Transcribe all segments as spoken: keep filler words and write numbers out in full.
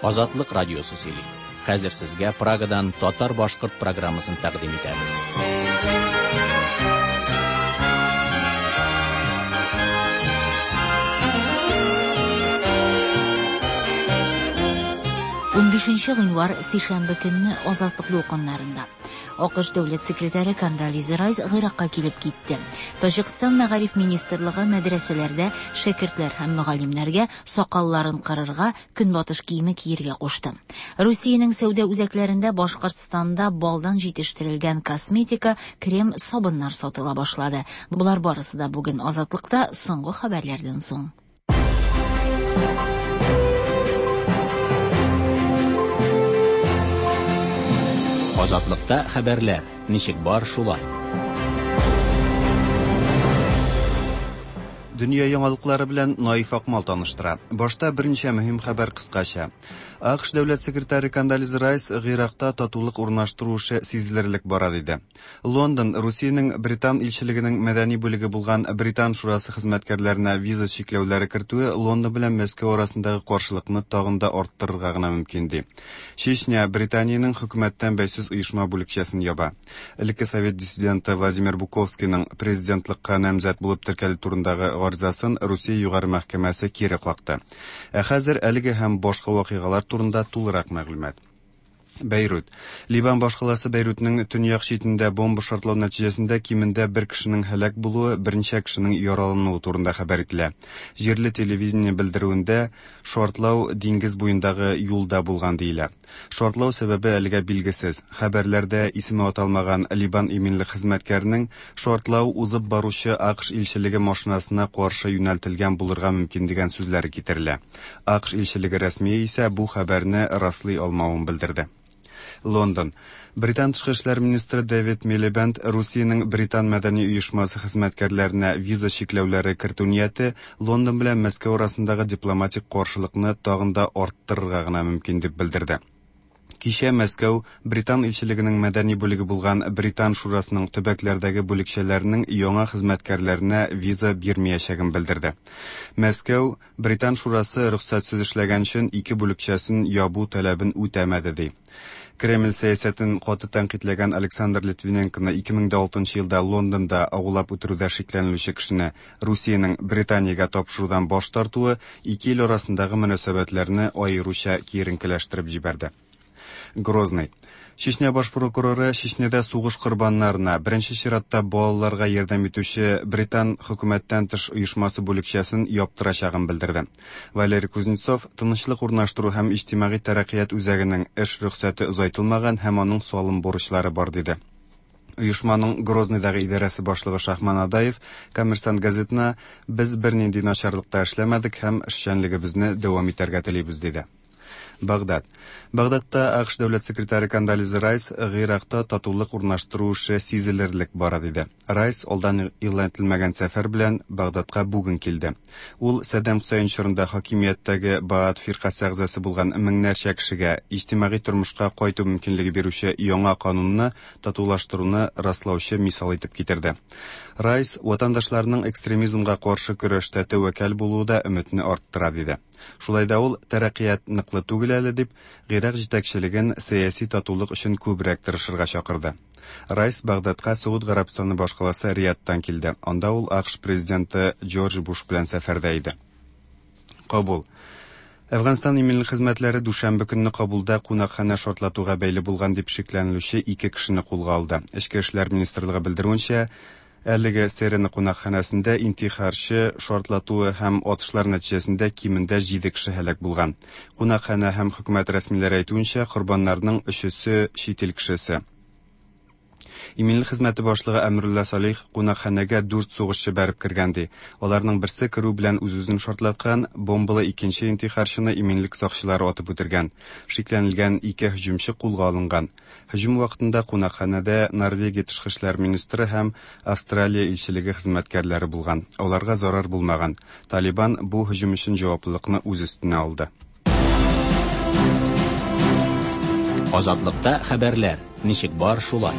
Азатлык радиосы сөйли. Хәзер сезгә Прагадан татар-башкорт программасын тәкъдим итәбез. Унбишенче гыйнвар сишәмбе көнне Азатлык дулкыннарында. АКШ дәүләт секретаре Кондолиза Райс Гыйракка килеп китте. Таҗикстан мәгариф министрлыгы мәдрәсәләрдә шәкертләр һәм мөгаллимнәргә сакалларын кырырга, көнбатыш киеме киергә кушты. Русиянең сәүдә үзәкләрендә Башкортстанда балдан җитештерелгән косметика, крем, сабыннар сатыла башлады. Болар барысы да бүген Азатлыкта соңгы хәбәрләрдән соң. Азатлыкта хәбәрләр ничек бар шулай. Дөнья яңалыклары белән Наиф Акмал таныштыра. Башта берничә мөһим хәбәр кыскача. АКШ дәүләт секретаре Кондолиза Райс Гыйракта татулык урнаштыру эше сизелерлек бара диде. Лондон Русиянең Британ илчелегенең мәдәни бүлеге булган Британ шурасы хезмәткәрләренә виза чикләүләре кертүе Лондон белән Мәскәү арасындагы каршылыкны тагын да арттырырга гына мөмкин ди. Чечня Британиянең хөкүмәттән бәйсез оешма бүлекчәсен яба. Элекке совет диссиденты Владимир Буковскийның президентлыкка намзәт булып теркәлү турындагы гаризасын Русия югары мәхкәмәсе кире какты. Ә хәзер әлеге һәм башка вакыйгалар турында тулырак мәгълүмат. Бәйрут. Ливан башкаласы Бәйрутның төньяк читендә бомба шартлау нәтиҗәсендә кимендә бер кешенең һәлак булуы, берничә кешенең яралануы турында хәбәр ителә. Җирле телевидение белдерүендә шартлау диңгез буендагы юлда булган диелә. Шартлау сәбәбе әлегә билгесез. Хәбәрләрдә исеме аталмаган Ливан иминлек хезмәткәренең шартлау узып баручы АКШ илчелеге машинасына каршы юнәлтелгән булырга мөмкин дигән сүзләре китерелә. АКШ илчелеге рәсмие исә бу хәбәрне раслый алмавын белдерде. Лондон. Британ тышкы эшләр министры Дэвид Милибенд Русиянең Британ мәдәни оешмасы хезмәткәрләренә виза чикләүләре кертү нияте Лондон белән Мәскәү арасындагы дипломатик каршылыкны тагын да арттырырга гына мөмкин дип белдерде. Кичә Мәскәү Британ илчелегенең мәдәни бүлеге булган Британ шурасының төбәкләрдәге бүлекчәләренең яңа хезмәткәрләренә виза бирмәячәген белдерде. Мәскәү Британ шурасы рөхсәтсез эшләгән өчен ике бүлекчәсен ябу таләбен үтәмәде ди. Кремль сәясәтен каты тәнкыйтьләгән Александр Литвиненконы ике мең алтынчы елда Лондонда агулап үтерүдә шикләнелүче кешене Русиянең Британиягә тапшырудан баш тартуы ике ил арасындагы мөнәсәбәтләрне аеруча киеренкеләштереп җибәрде. Грозный. Чечня баш прокуроры Чечняда сугыш корбаннарына, беренче чиратта балаларга ярдәм итүче Британ хөкүмәттән тыш оешмасы бүлекчәсен яптырачагын белдерде. Валерий Кузнецов тынычлык урнаштыру һәм иҗтимагый тәрәккыят үзәгенең эш рөхсәте озайтылмаган һәм аның салым бурычлары бар диде. Оешманың Грозныйдагы идарәсе башлыгы Шахман Адаев Коммерсант газетына без бернинди начарлыкта эшләмәдек һәм эшчәнлегебезне дәвам итәргә телибез диде. Багдад. Багдадта АКШ дәүләт секретаре Кондолиза Райс Гыйракта татулык урнаштыру эше сизелерлек бара диде. Райс алдан игълан ителмәгән сәфәр белән Багдадка бүген килде. Ул Саддам Хөсәйн чорында хакимияттәге Баат фиркасе әгъзасы булган меңнәрчә кешегә иҗтимагый тормышка кайту мөмкинлеге бирүче яңа канунны татулаштыруны раслаучы мисал итеп китерде. Райс ватандашларның экстремизмга каршы көрәштә тәвәккәл булуы да өметне арттыра диде. Шулай да ул тәрәккыят ныклы түгел әле дип, Гыйрак җитәкчелеген сәяси татулык өчен күбрәк тырышырга чакырды. Райс Багдадка Сауд Гарәбстаны башкаласы Риядтан килде. Анда ул АКШ президенты Джордж Буш белән сәфәрдә иде. Кабул. Әфганстан иминлек хезмәтләре дүшәмбе көнне Кабулда кунакханә шартлатуга бәйле булган дип шикләнелүче ике кешене кулга алды. Эчке эшләр министрлыгы белдерүенчә, әлеге Серена кунакханәсендә интихарчы шартлатуы һәм атышлар нәтиҗәсендә кимендә җиде кеше һәлак булган. Кунакханә һәм хөкүмәт рәсмиләре әйтүенчә, корбаннарның өчесе чит ил кешесе. Иминлек хезмәте башлыгы Әмрулла Салих кунакханәгә дүрт сугышчы бәреп кергән ди. Аларның берсе керү белән үз-үзен шартлаткан, бомбалы икенче интихарчыны иминлек сакчылары атып үтергән. Шикләнелгән ике һөҗүмче кулга алынган. Һөҗүм вакытында кунакханәдә Норвегия тышкы эшләр министры һәм Австралия илчелеге хезмәткәрләре булган. Аларга зарар булмаган. Талибан бу һөҗүм өчен җаваплылыкны үз өстенә алды. Азатлыкта хәбәрләр ничек бар шулай.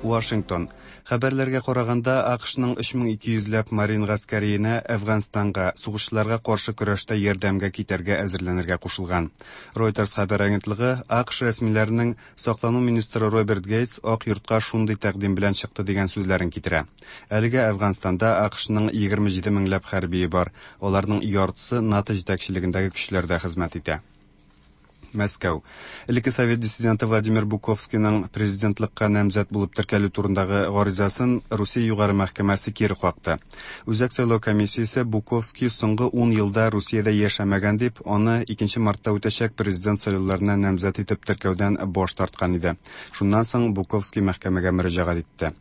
Вашингтон. Хәбәрләргә караганда, АКШның өч мең ике йөзләп марин гаскәриенә Әфганстанга сугышчыларга каршы көрәштә ярдәмгә китәргә әзерләнергә кушылган. Reuters хәбәр агентлыгы АКШ рәсмиләренең саклану министры Роберт Гейтс Ак йортка шундый тәкъдим белән чыкты дигән сүзләрен китерә. Әлегә Әфганстанда АКШның егерме җиде меңләп хәрбие бар. Аларның яртысы НАТО җитәкчелегендәге көчләрдә хезмәт итә. Мәскәү. Элекке совет диссиденты Владимир Буковскийның президентлыкка намзәт булып теркәлү турындагы гаризасын Русия югары мәхкәмәсе кире какты. Үзәк сайлау комиссиясе Буковский соңгы ун елда Русиядә яшәмәгән дип, аны икенче мартта үтәчәк президент сайлауларына намзәт итеп теркәүдән баш тарткан иде. Шуннан соң Буковский мәхкәмәгә мөрәҗәгать итте.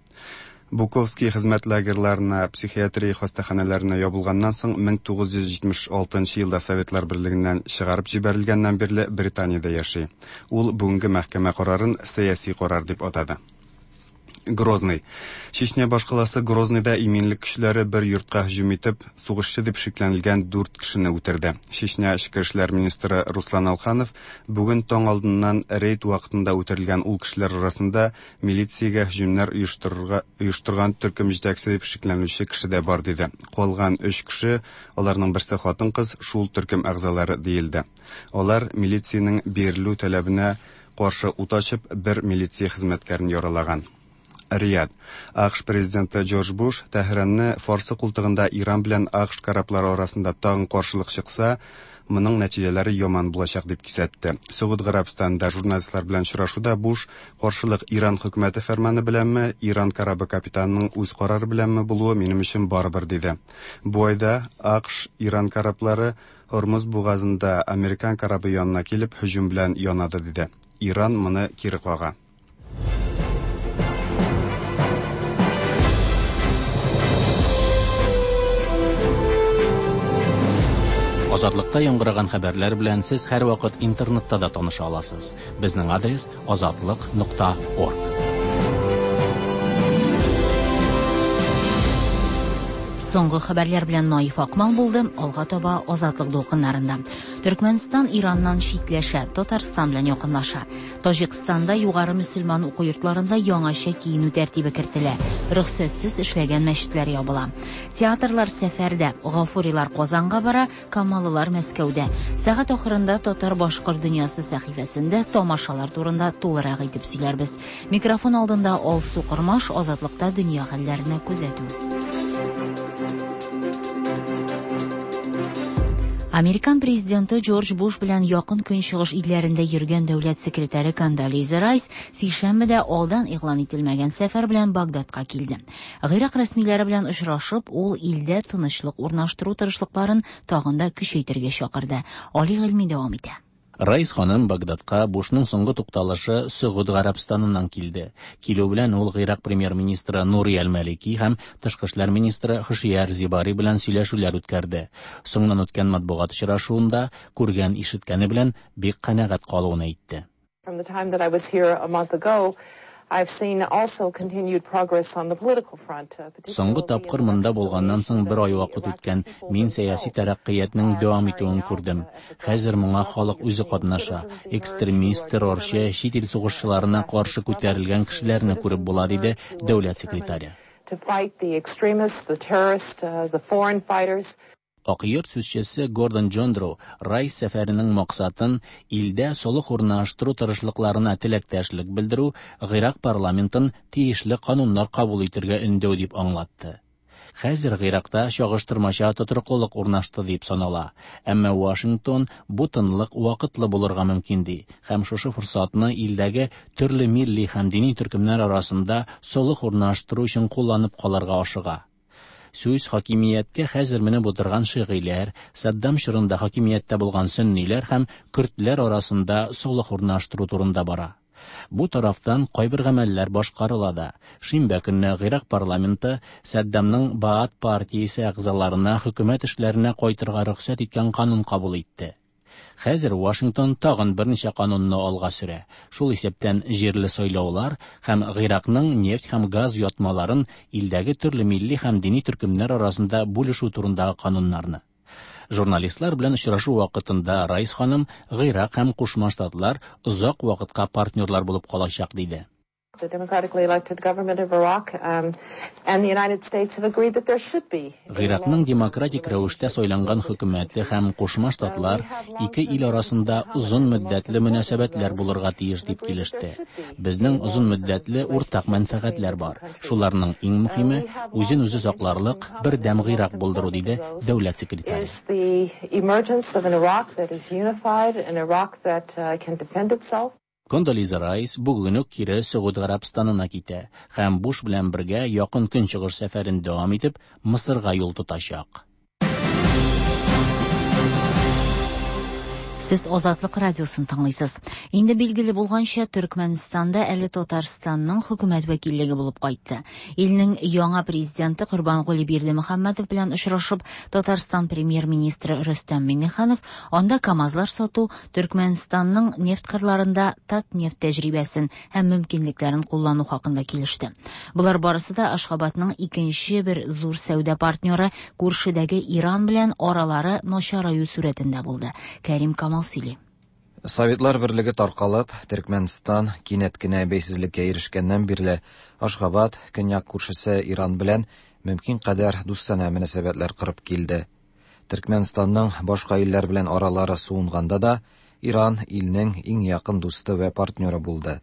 Буковский хезмәт лагерьларына, психиатрия хастаханәләренә ябылганнан соң мең тугыз йөз җитмеш алтынчы елда Советлар Берлегеннән чыгарып җибәрелгәннән бирле Британиядә яши. Ул бүгенге мәхкәмә карарын сәяси карар дип атады. Грозный. Чечня башкаласы Грозныйда иминлек көчләре бер йортка һөҗүм итеп, сугышчы дип шикләнелгән дүрт кешене үтерде. Чечня эчке эшләр министры Руслан Алханов бүген таң алдыннан рейд вакытында үтерелгән ул кешеләр арасында милициягә һөҗүмнәр оештырырга, оештырган төркем җитәкчесе дип шикләнүче кеше дә бар диде. Калган өч кеше, аларның берсе хатын-кыз, шул төркем әгъзалары диелде. Алар милициянең бирелү таләбенә каршы ут ачып, бер милиция хезмәткәрен яралаган. Рияд. АКШ президенты Джордж Буш Тәһранны Фарсы култыгында Иран белән АКШ кораблары арасында тагын каршылык чыкса, моның нәтиҗәләре яман булачак дип кисәтте. Согуд Гарәбстанында журналистлар белән очрашуда Буш каршылык Иран хөкүмәте фәрманы беләнме, Иран корабы капитанының үз карары беләнме булуы минем өчен барыбер диде. Бу айда АКШ Иран кораблары Һормуз бугазында американ корабы янына килеп һөҗүм белән янады диде. Иран моны кире кага. Азатлыкта яңгыраган хәбәрләр белән сез һәрвакыт интернетта да таныша аласыз. Безнең адрес азатлык нокта орг. Соңгы хәбәрләр белән Наиф Акмал булды. Алга таба Азатлык дулкыннарында. Төркмәнстан Ираннан читләшә, Татарстан белән якынлаша. Таҗикстанда югары мөселман уку йортларында яңача киенү тәртибе кертелә. Рөхсәтсез эшләгән мәчетләр ябыла. Театрлар сәфәрдә, Гафурилар Казанга бара, Камалылар Мәскәүдә. Сәгать ахырында Татар-башкорт дөньясы сәхифәсендә тамашалар турында тулырак итеп сөйләрбез. Микрофон алдында Алсу Кормаш, Азатлыкта дөнья хәлләренә күзәтү. Американ президенты Джордж Буш белән якын көнчыгыш илләрендә йөргән дәүләт секретаре Кондолиза Райс сишәмбедә алдан игълан ителмәгән сәфәр белән Багдадка килде. Гыйрак рәсмиләре белән очрашып, ул илдә тынычлык урнаштыру тырышлыкларын тагын да көчәйтергә чакырды. Али Гыйльми дәвам итә. Райс ханым Багдадка Бушның соңгы тукталышы Согуд Гарәбстаныннан килде. Килү белән ул Гыйрак премьер-министры Нури Әл-Малики һәм тышкы эшләр министры Хушияр Зибари белән сөйләшүләр үткәрде. Соңыннан үткән матбугат очрашуында күргән ишеткәне белән бик канәгать калуын әйтте. From the time that I was here a month ago, I've seen also continued progress on the political front. Соңгы тапкыр монда булганнан соң бер ай вакыт үткән. Мин сәяси тәрәккыятның дәвам итүен күрдем. Хәзер моңа халык үзе катнаша. Экстремист, террорчы, чит ил сугышчыларына каршы күтәрелгән кешеләрне күреп була, диде дәүләт секретаре. To fight the extremists, the terrorists, the foreign fighters. Ак йорт сүзчесе Гордон Джондро Райс сәфәренең максатын илдә солых урнаштыру тырышлыкларына теләктәшлек белдерү, Гыйрак парламентын тиешле кануннар кабул итергә өндәү дип аңлатты. Хәзер Гыйракта чагыштырмача тотрыклылык урнашты дип санала. Әмма Вашингтон бу тынлык вакытлы булырга мөмкин ди һәм шушы форсатны илдәге төрле милли һәм дини төркемнәр арасында солых урнаштыру өчен кулланып калырга ашыга. Сүз хакимияткә хәзер менеп утырган шигыйләр, Саддам чорында хакимияттә булган сөнниләр һәм көрдләр арасында солых урнаштыру турында бара. Бу тарафтан кайбер гамәлләр башкарыла да. Шимбә көнне Гыйрак парламенты Саддамның Баат партиясе әгъзаларына хөкүмәт эшләренә кайтырга рөхсәт иткән канун кабул итте. Хәзер Вашингтон тагын берничә канунны алга сөрә. Шул исәптән җирле сайлаулар һәм Гыйракның нефть һәм газ ятмаларын илдәге төрле милли һәм дини төркемнәр арасында бүлешү турындагы кануннарны. Журналистлар белән очрашу вакытында Райс ханым Гыйрак һәм Кушма Штатлар озак вакытка партнерлар булып калачак диде. The democratically elected government of Iraq um, and the United States have agreed that there should be. Гыйракның демократик рәвештә сайланган хөкүмәте һәм Кушма Штатлар ике ил арасында озын мөддәтле мөнәсәбәтләр булырга тиеш дип килеште. Безнең озын мөддәтле уртак мәнфәгатьләр бар. Шуларның иң мөһиме үзен үзе сакларлык бердәм Гыйрак булдыру, диде дәүләт секретаре. Is the emergence of an Iraq that is unified, an Iraq that uh, can defend itself. Кондолиза Райс бүген үк кире Согуд Гарәбстанына китә һәм Буш белән бергә Якын Көнчыгыш сәфәрен дәвам итеп, Мысырга юл тотачак. Сез Азатлык радиосын тыңлыйсыз. Инде билгеле булганча, Төркмәнстанда әле Татарстанның хөкүмәт вәкиллеге булып кайтты. Илнең яңа президенты Корбангули Бердымөхәммәтов белән очрашып, Татарстан премьер-министры Рөстәм Миңнеханов анда КАМАЗлар сату, Төркмәнстанның нефть кырларында Татнефть тәҗрибәсен һәм мөмкинлекләрен куллану хакында килеште. Болар барысы да Ашхабадның икенче бер зур сәүдә партнеры күршедәге Иран белән аралары начараю сурәтендә булды. Кәрим Камал сөйли. Советлар берлеге таркалып, Төркмәнстан кинәт кенә бәйсезлеккә ирешкәннән бирле Ашхабад көньяк күршесе Иран белән мөмкин кадәр дустанә мөнәсәбәтләр корып килде. Төркмәнстанның башка илләр белән аралары суынганда да Иран илнең иң якын дусты вә партнеры булды.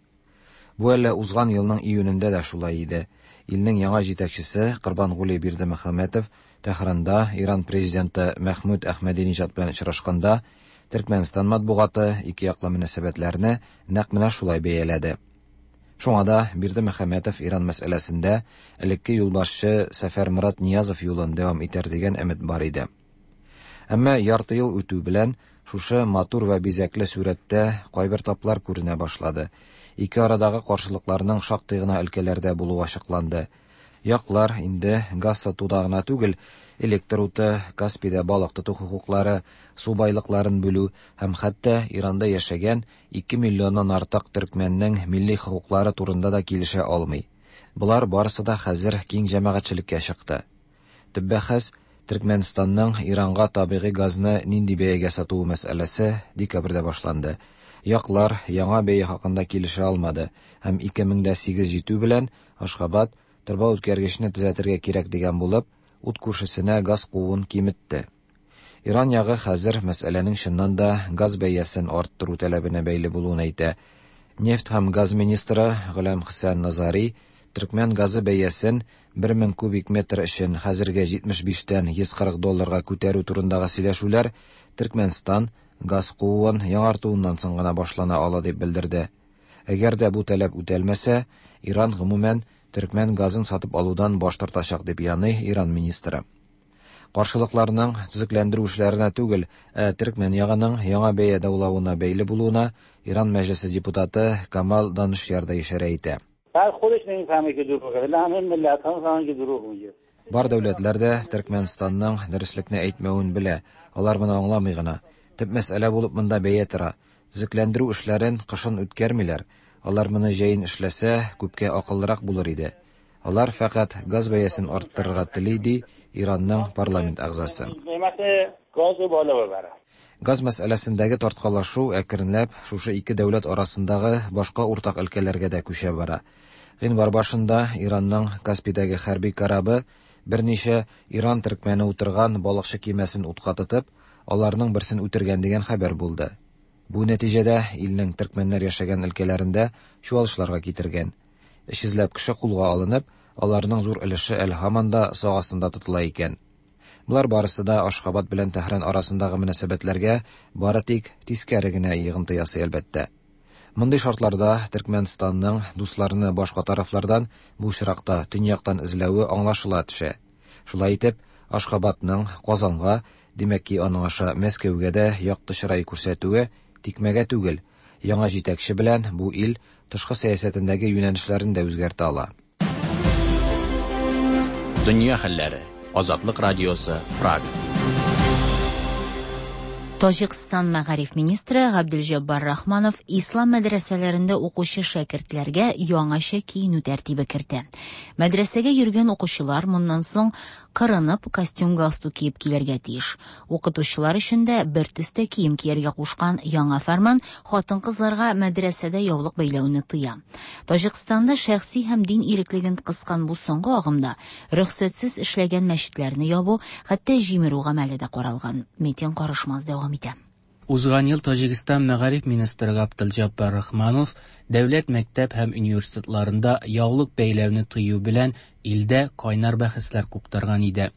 Бу әле узган елның июнендә дә шулай иде. Илнең яңа җитәкчесе Корбангули Бердымөхәммәтов Тәһранда Иран президенты Мәхмүд Әхмәдинежад белән очрашканда Төркмәнстан матбугаты ике яклы мөнәсәбәтләрне нәкъ менә шулай бәяләде. Шуңа да Бердымөхәммәтов Иран мәсьәләсендә элекке юлбашчы Сәфәрмурат Ниязов юлын дәвам итәр дигән өмет бар иде. Әмма ярты ел үтү белән шушы матур вә бизәкле сурәттә кайбер таплар күренә башлады. Ике арадагы каршылыкларның шактый гына өлкәләрдә булуы ачыкланды. Яклар инде газ сатуда гына түгел, электр уты, Каспийда балык тоту хокуклары, су байлыкларын бүлү һәм хәтта Иранда яшәгән ике миллионнан артык төркмәннең милли хокуклары турында да килешә алмый. Болар барысы да хәзер киң җәмәгатьчелеккә чыкты. Төп бәхәс Төркмәнстанның Иранга табигый газны нинди бәягә сатуы мәсьәләсе декабрьдә башланды. Яклар яңа бәя хакында килешә алмады һәм ике мең дә сигез җитү белән Ашхабад торба үткәргечне төзәтергә кирәк дигән булып, ут күршесенә газ кууын киметте. Иран ягы хәзер мәсьәләнең чыннан да газ бәясен арттыру таләбенә бәйле булуын әйтә. Нефть һәм газ министры Гөләм Хәсән Назари төркмән газы бәясен бер мең кубик метр өчен хәзергә җитмеш биштән йөз кырык долларга күтәрү турындагы сөйләшүләр Төркмәнстан газ кууын яңартуыннан соң гына башлана ала дип белдерде. Әгәр дә бу таләп үтәлмәсә, Иран гомумән төркмән газын сатып алудан баш тартачак дип яный Иран министры. Каршылыкларның төзекләндерү эшләренә түгел, ә төркмән ягының яңа бәя даулавына бәйле булуына Иран мәҗлесе депутаты Камал Данышяр да ишарә итә. Бар дәүләтләр дә Төркмәнстанның дөреслекне әйтмәвен белә, алар моны аңламый гына. Төп мәсьәлә булып монда бәя тора. Төзекләндерү эшләрен кышын үткәрмиләр. Алар моны җәен эшләсә, күпкә акыллырак булыр иде. Алар фәкать газ бәясен арттырырга тели, ди Иранның парламент әгъзасы. Газ мәсьәләсендәге тарткалашу әкренләп шушы ике дәүләт арасындагы башка уртак өлкәләргә дә күчә бара. Гыйнвар башында Иранның Каспийдәге хәрби корабы берничә Иран төркмәне утырган балыкчы кимәсен утка тотып, аларның берсен үтергән дигән хәбәр булды. Бу нәтиҗәдә илнең төркмәннәр яшәгән өлкәләрендә чуалышларга китергән. Өч йөзләп кеше кулга алынып, аларның зур өлеше әле һаман да сак астында тотыла икән. Болар барысы да Ашхабад белән Тәһран арасындагы мөнәсәбәтләргә бары тик тискәре генә йогынты ясый әлбәттә. Мондый шартларда Төркмәнстанның дусларны башка тарафлардан, бу очракта төньяктан эзләве аңлашыла төшә. Шулай итеп, Ашхабадның Казанга, димәк ки, аның аша Мәскәүгә дә якты чырай күрсәтүе тикмәгә түгел. Яңа җитәкче белән бу ил тышкы сәясәтендәге юнәлешләрен дә үзгәртә ала. Дөнья хәлләре. Азатлык радиосы, Прага. Таҗикстан мәгариф министры Габделҗаббар Рахманов ислам мәдрәсәләрендә укучы шәкертләргә яңача киенү тәртибе кертә. Мәдрәсәгә йөргән укучылар моннан соң кырынып костюм-галстук киеп килергә тиеш. Укытучылар өчен дә бер төстә кием кияргә кушкан яңа фәрман хатын-кызларга мәдрәсәдә яулык бәйләүне тыя. Таҗикстанда шәхси һәм дин иреклеген кыскан бу соңгы агымда рөхсәтсез эшләгән мәчетләрне ябу, хәтта җимерү гамәле дә каралган. Метин Карышмаз дәвам итә. Узган ел Таҗикстан мәгариф министры Габделҗаббар Рахманов дәүләт мәктәп һәм университетларында яулык бәйләүне тыю белән илдә кайнар бәхәсләр куптарган иде.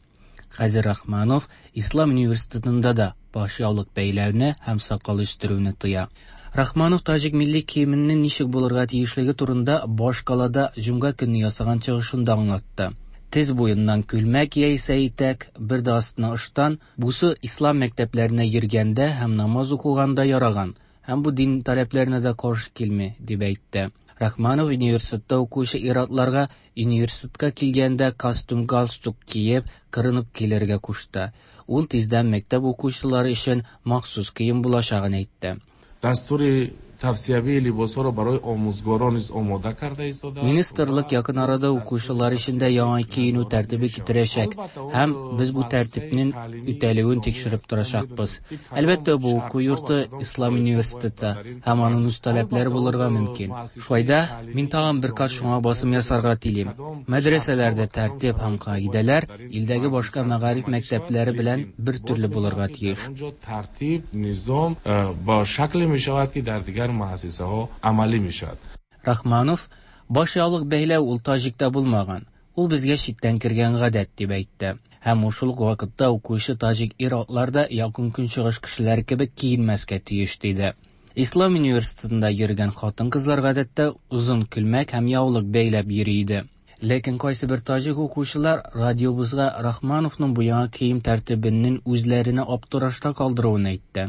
Хәзер Рахманов Ислам университетында да баш яулык бәйләүне һәм сакал үстерүне тыя. Рахманов таҗик милли киеменең ничек булырга тиешлеге турында башкалада җомга көнне ясаган чыгышында аңлатты. Тез буеннан күлмәк яисә итәк, бер дә астына ыштан, бусы ислам мәктәпләренә йөргәндә һәм намаз укыганда яраган, һәм бу дин таләпләренә дә каршы килми, дип әйтте. Рахманов университетта укучы ир-атларга университетка килгәндә костюм-галстук киеп, кырынып килергә кушты. Ул тиздән мәктәп укучылары өчен махсус кием булачагын әйтте. Дастури тавсиявии либосҳоро барои омӯзгорон низ омода карда истода. Министрлык якын арада укучылар өчен дә яңа киенү тәртибе китерәчәк һәм без бу тәртипнең үтәлүен тикшереп торачакбыз. Әлбәттә, бу уку йорты Ислам университеты һәм аның үз таләпләре булырга мөмкин. Шулай да мин тагын бер кат шуңа басым ясарга телим. Мәдрәсәләрдә тәртип һәм кагыйдәләр илдәге башка мәгариф мәктәпләре белән бер төрле булырга тиеш. Тәртип, низам ба шакле мешавад ки дар дигар муассисаҳо амалӣ мешавад. Рахманов баш яулык бәйләү ул таҗикта булмаган, ул безгә читтән кергән гадәт дип әйтте. Һәм шул ук вакытта укучы таҗик ир-атлар да якын көнчыгыш кешеләре кебек киенмәскә тиеш диде. Ислам университетында йөргән хатын-кызлар гадәттә озын күлмәк һәм яулык бәйләп йөри иде. Ләкин кайсы бер таҗик укучылар радиобызга Рахмановның бу яңа кием тәртибенең үзләренә аптырашта калдыруын әйтте.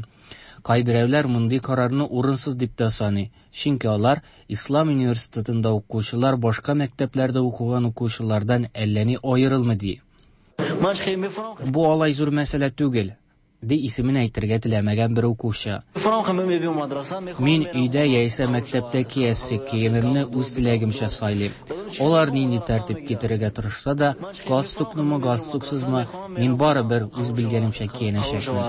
Кайберәүләр мондый карарны урынсыз дип тә саный, чөнки алар Ислам университетында укучылар башка мәктәпләрдә укыган укучылардан әллә ни аерылмый ди. Бу алай зур мәсьәлә түгел, ди исемен әйтергә теләмәгән бер укучы. Мин өйдә яисә мәктәптә киясе киемемне үз теләгемчә сайлыйм. Алар нинди тәртип китерергә тырышса да, галстукнымы, галстуксызмы, мин барыбер үз белгәнемчә киенәчәкмен.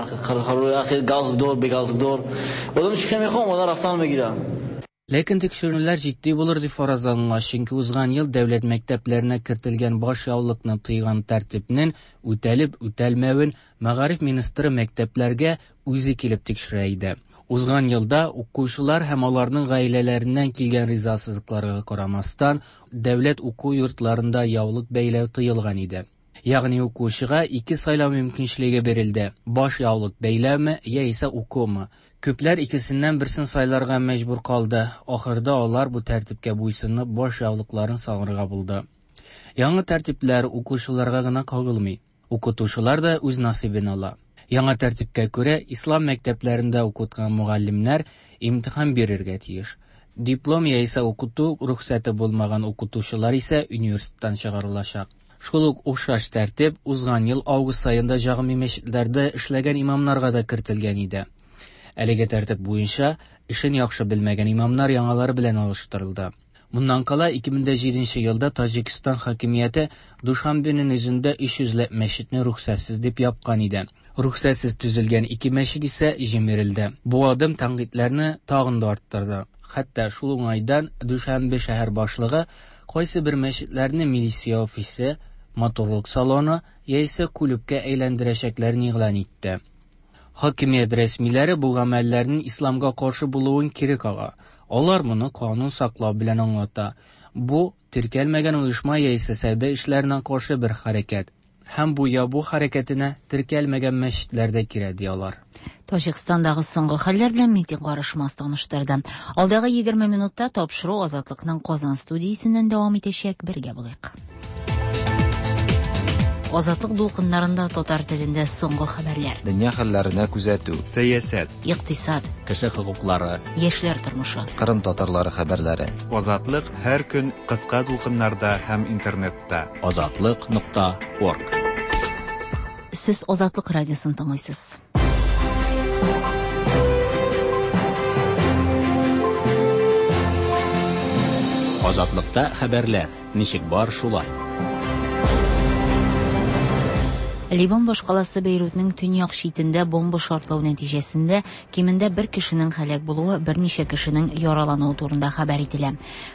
Ләкин тикшерүләр җитди булыр дип фаразланыла, чөнки узган ел дәүләт мәктәпләренә кертелгән баш яулыкны тыйган тәртипнең үтәлеп үтәлмәвен мәгариф министры мәктәпләргә үзе килеп тикшерә иде. Узган елда укучылар һәм аларның гаиләләреннән килгән ризасызлыкларга карамастан, дәүләт уку йортларында яулык бәйләү тыелган иде. Ягъни укучыга ике сайлау мөмкинчелеге бирелде: баш яулык бәйләүме яисә укумы. Күпләр икесеннән берсен сайларга мәҗбүр калды. Ахырда алар бу тәртипкә буйсынып баш яулыкларын салырга булды. Яңа тәртипләр укучыларга гына кагылмый. Укытучылар да үз насыйбын ала. Яңа тәртипкә күрә ислам мәктәпләрендә укыткан мөгаллимнәр имтихан бирергә тиеш. Диплом яисә укыту рөхсәте булмаган укытучылар исә университеттан чыгарылачак. Шул ук охшаш тәртип узган ел август аенда җәмгый мәчетләрдә эшләгән имамнарга да кертелгән иде. Әлеге тәртип буенча эшен яхшы белмәгән имамнар яңалары белән алыштырылды. Моннан кала ике мең җиденче елда Таҗикстан хакимияте Душанбенең үзендә өч йөзләп мәчетне рөхсәтсез дип япкан иде. Рөхсәтсез төзелгән ике мәчет исә җимерелде. Бу адым тәнкыйтьләрне тагын да арттырды. Хәтта шул уңайдан Душанбе шәһәр башлыгы кайсы бер мәчетләрне милиция офисы, матурлык салоны яисә клубка әйләндерәчәкләрен игълан итте. Хакимият рәсмиләре бу гамәлләрнең исламга каршы булуын кире кага. Алар моны канун саклау белән аңлата. Бу теркәлмәгән оешма яисә сәүдә эшләренә каршы бер хәрәкәт. Һәм бу ябу хәрәкәтенә теркәлмәгән мәчетләр дә керә, ди алар. Таҗикстандагы соңгы хәлләр белән Митин Карышмаз таныштырды. Алдагы егерме минутта тапшыру Азатлыкның Казан студиясеннән дәвам итәчәк. Бергә булыйк. Азатлык дулкыннарында татар телендә соңгы хәбәрләр. Дөнья хәлләренә күзәтү, сәясәт, икътисад, кеше хокуклары, яшьләр тормышы, Кырым татарлары хәбәрләре. Азатлык һәр көн кыска дулкыннарда һәм интернетта. Азатлык нокта орг. Сез Азатлык радиосын тыңлыйсыз. Азатлыкта хәбәрләр ничек бар шулай. Ливан башкаласы Бейрутның төньяк читендә бомба шартлау нәтиҗәсендә кимендә бер кешенең һәлак булуы, берничә кешенең яралануы турында хәбәр ителә.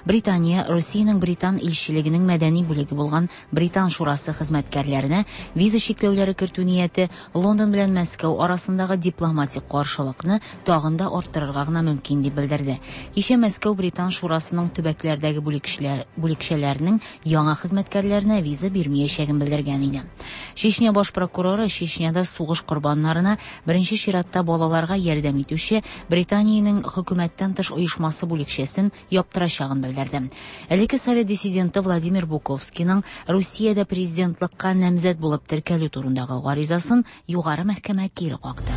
Британия Русиянең Британ илчелегенең мәдәни бүлеге булган Британ шурасы хезмәткәрләренә виза чикләүләре кертү нияте Лондон белән Мәскәү арасындагы дипломатик каршылыкны тагын да арттырырга гына мөмкин дип белдерде. Кичә Мәскәү Британ шурасының төбәкләрдәге бүлекчәләренең яңа хезмәткәрләренә виза бирмәячәген белдергән иде. Чечня баш прокуроры Чечняда сугыш корбаннарына беренче чиратта балаларга ярдәм итүче Британиянең хөкүмәттән тыш оешмасы бүлекчәсен яптырачагын белдерде. Элекке совет диссиденты Владимир Буковскийның Русиядә президентлыкка намзәт булып теркәлү турындагы гаризасын югары мәхкәмә кире какты.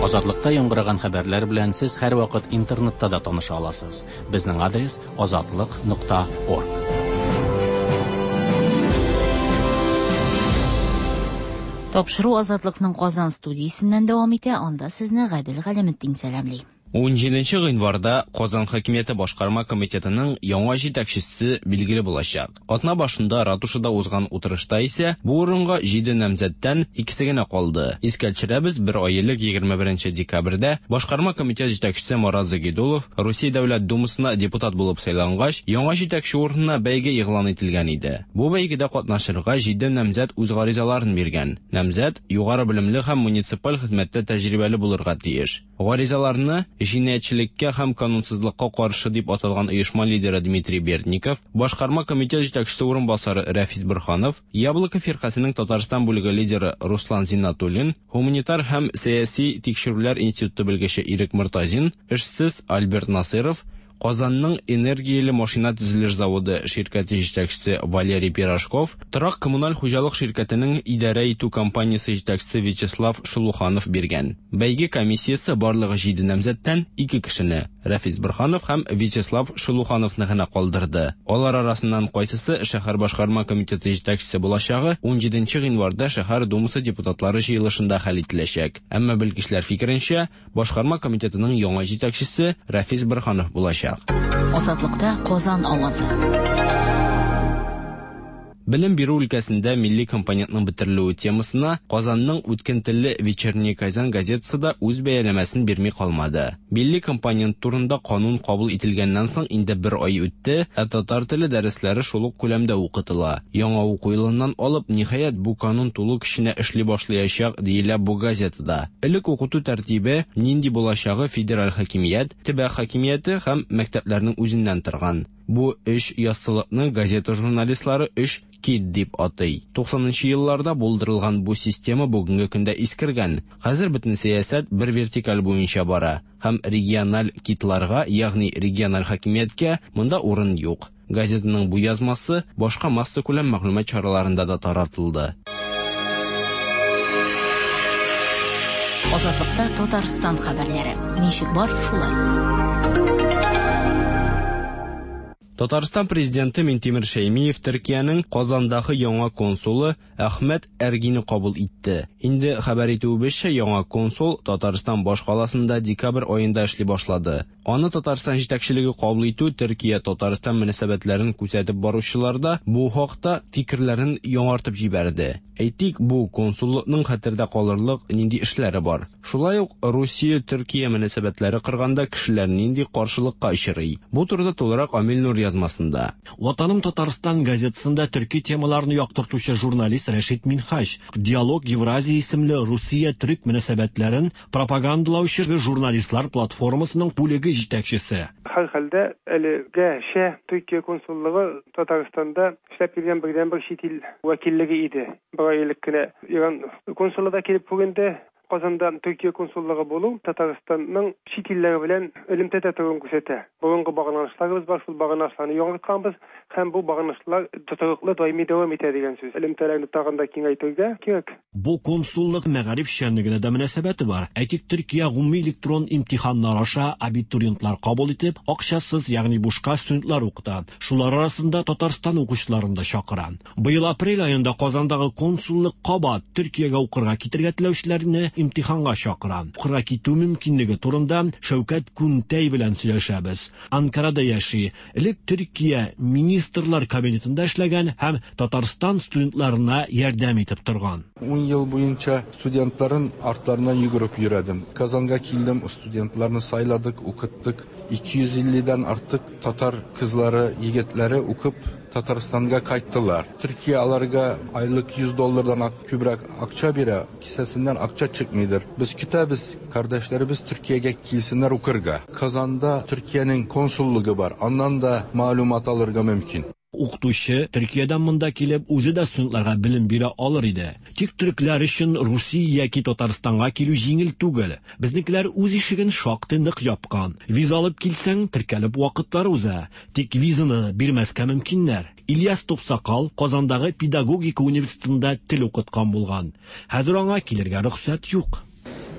Азатлыкта яңгыраган хәбәрләр белән сез һәр вакыт интернетта да таныша аласыз. Безнең адрес азатлык нокта орг. Тапшыру Азатлыкның Казан студиясеннән дәвам итә. Анда сезне Гадел Галәметдин сәламли. Унҗиденче гыйнварда Казан хакимияте башкарма комитетының яңа җитәкчесе билгеле булачак. Атна башында ратушада узган утырышта исә бу урынга җиде намзәттән икесе генә калды. Искә төшерәбез, бер ай элек егерме беренче декабрьдә башкарма комитет җитәкчесе Марат Загидулов Русия Дәүләт Думасына депутат булып сайлангач, яңа җитәкче урынына бәйге игълан ителгән иде. Бу бәйгедә катнашырга җиде намзәт үз гаризаларын биргән. Намзәт югары белемле һәм муниципаль хезмәттә тәҗрибәле булырга тиеш. Гаризаларны җинаятьчелеккә һәм канунсызлыкка каршы дип аталган оешма лидеры Дмитрий Бердников, башкарма комитет җитәкчесе урынбасары Рәфис Борһанов, Яблоко фиркасының Татарстан бүлеге лидеры Руслан Зиннатуллин, гуманитар һәм сәяси тикшерүләр институты белгече Ирек Мортазин, эшсез Альберт Насыров, Казанның энергияле машина төзелеш заводы ширкәте җитәкчесе Валерий Пирожков, торак коммуналь хуҗалык ширкәтенең идарә итү компаниясе җитәкчесе Вячеслав Шелуханов биргән. Бәйге комиссиясе барлыгы җиде намзәттән ике кешене, Рәфис Борһанов һәм Вячеслав Шелухановны гына калдырды. Алар арасыннан кайсысы шәһәр башкарма комитеты җитәкчесе булачагы унҗиденче гыйнварда шәһәр думасы депутатлары җыелышында хәл ителәчәк. Әмма белгечләр фикеренчә, башкарма комитетының яңа җитәкчесе Рәфис Борһанов булачак. Азатлыкта Казан авазы. Белем бирү өлкәсендә милли компонентның бетерелүе темасына Казанның үткен телле Вечерний Казан газетасы да үз бәяләмәсен бирми калмады. Милли компонент турында канун кабул ителгәннән соң инде бер ай үтте, ә татар теле дәресләре шул ук күләмдә укытыла. Яңа уку елыннан алып, ниһаять, бу канун тулы көченә эшли башлаячак, диелә бу газетада. Элек укыту тәртибе нинди булачагы федераль хакимият, төбәк хакимияте һәм мәктәпләрнең үзеннән торган. Бу өч яссылыкны газета журналистлары өч кит дип атый. Туксанынчы елларда булдырылган бу система бүгенге көндә искергән. Хәзер бөтен сәясәт бер вертикаль буенча бара һәм региональ китларга, ягъни региональ хакимияткә монда урын юк. Газетаның бу язмасы башка массакүләм мәгълүмат чараларында да таратылды. Азатлыкта Татарстан хәбәрләре. Ничек бар, шулай. Татарстан президенты Минтимер Шәймиев Төркиянең Казандагы яңа консулы Әхмәт Әргине кабул итте. Инде хәбәр итүебезчә, яңа консул Татарстан башкаласында декабрь аенда эшли башлады. Аны Татарстан җитәкчелеге кабул итү Төркия Татарстан мөнәсәбәтләрен күзәтеп баручылар да бу хакта фикерләрен яңартып җибәрде. Әйтик, бу консуллыкның хәтердә калырлык нинди эшләре бар. Шулай ук Русия Төркия мөнәсәбәтләре кырганда кешеләр нинди каршылыкка очрый. Бу турыда тулырак Амил Нур язмасында. Ватаным Татарстан газетасында төрки темаларны яктыртучы журналист Рәшит Минһаҗ Диалог Евразия исемле Русия төрк мөнәсәбәтләрен пропагандалаучы журналистлар платформасының бүлеге җитәкчесе. Һәр хәлдә әлегәчә Төркия консуллыгы Татарстанда эшләп килгән бердәнбер чит ил вәкиллеге иде. Бер ай элек кенә Иран консулы да килеп күренде. Казанда Төркия консуллыгы булу Татарстанның чит илләре белән элемтәдә торуын күрсәтә. Борынгы багланышларыбыз бар, шул багланышларны яңартканбыз һәм бу багланышлар тотрыклы даими дәвам итә дигән сүз. Элемтәләрне тагын да киңәйтергә кирәк. Бу консуллык мәгариф эшчәнлегенә дә мөнәсәбәте бар. Әйтик, Төркия гомуми электрон имтиханнар аша абитуриентлар кабул итеп, акчасыз, ягъни бушка студентлар укыта. Шулар арасында Татарстан укучыларын да чакыра. Быел апрель аенда Казандагы консуллык кабат Төркиягә укырга китергә теләүчеләрне имтиханга чакыра. Укырга китү мөмкинлеге турында Шәүкәт Күнтәй белән сөйләшәбез. Анкарада яши. Элек Төркия министрлар кабинетында эшләгән һәм Татарстан студентларына ярдәм итеп торган. Ун ел буенча студентларын артларынан йөгереп йөрдем. Казанга килдем, студентларны сайладык, укыттык. ике йөз илледән артык татар кызлары, егетләре укып Татарстанга кайттылар. Төркия аларга айлык йөз доллардан күбрәк акча бирә, кесәсеннән акча чыкмыйдыр. Без көтәбез, кардәшләребез Төркиягә килсеннәр укырга. Казанда Төркиянең консуллыгы бар, аннан да мәгълүмат алырга мөмкин. Укытучы Төркиядән монда килеп үзе дә студентларга белем бирә алыр иде. Тик төрекләр өчен Русия яки Татарстанга килү җиңел түгел. Безнекеләр үз ишеген шактый нык япкан. Виза алып килсәң, теркәлеп вакытлар уза. Тик визаны бирмәскә мөмкиннәр. Ильяс Топсакал Казандагы педагогика университетында тел укыткан булган. Хәзер аңа килергә рөхсәт юк.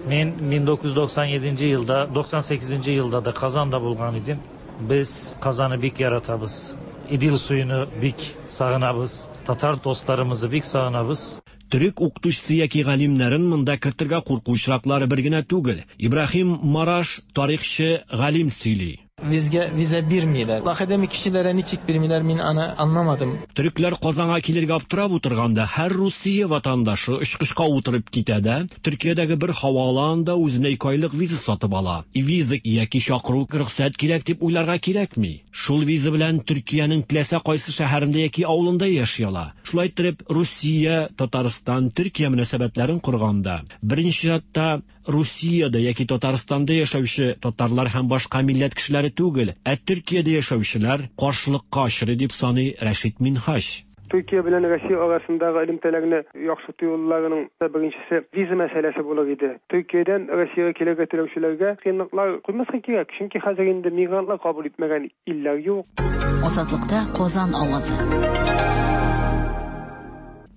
Мин мең тугыз йөз туксан җиденче елда, туксан сигезенче елда да Казанда булган идем. Без Казанны бик яратабыз. İdil suyunu bik sağınabız, Tatar dostlarımızı bik sağınabız. Төрек укытучысы яки галимнәрен монда кертергә курку очраклары бер генә түгел. Ибраһим Мараш тарихчы галим сөйли. Bizge vize birmiler. Akademik kişilere niçik birmiler min ana anlamadım. Төрекләр Казанга килергә аптырап утырганда һәр Русия ватандашы очкычка утырып китә дә, Төркиядәге бер һаваланда үзенә ике айлык виза сатып ала. Виза яки чакыру рөхсәт кирәк дип уйларга кирәкми. Шул виза белән Төркиянең теләсә кайсы шәһәрендә яки авылында яши ала. Шулай итеп, Русия, Татарстан, Төркия мөнәсәбәтләрен корганда, беренче чиратта Русиядә яки Татарстанда яшәүче татарлар һәм башка милләт кешеләре түгел, ә Төркиядә яшәүчеләр каршылыкка очрый дип саный Рәшит Минһаҗ. Төркия белән Россия арасындагы элемтәләрне яхшырту юлларының беренчесе виза мәсьәләсе булыр иде. Төркиядән Россиягә килергә теләүчеләргә кыенлыклар куймаска кирәк, чөнки хәзер инде мигрантлар кабул итмәгән илләр юк. Азатлыкта Казан авазы.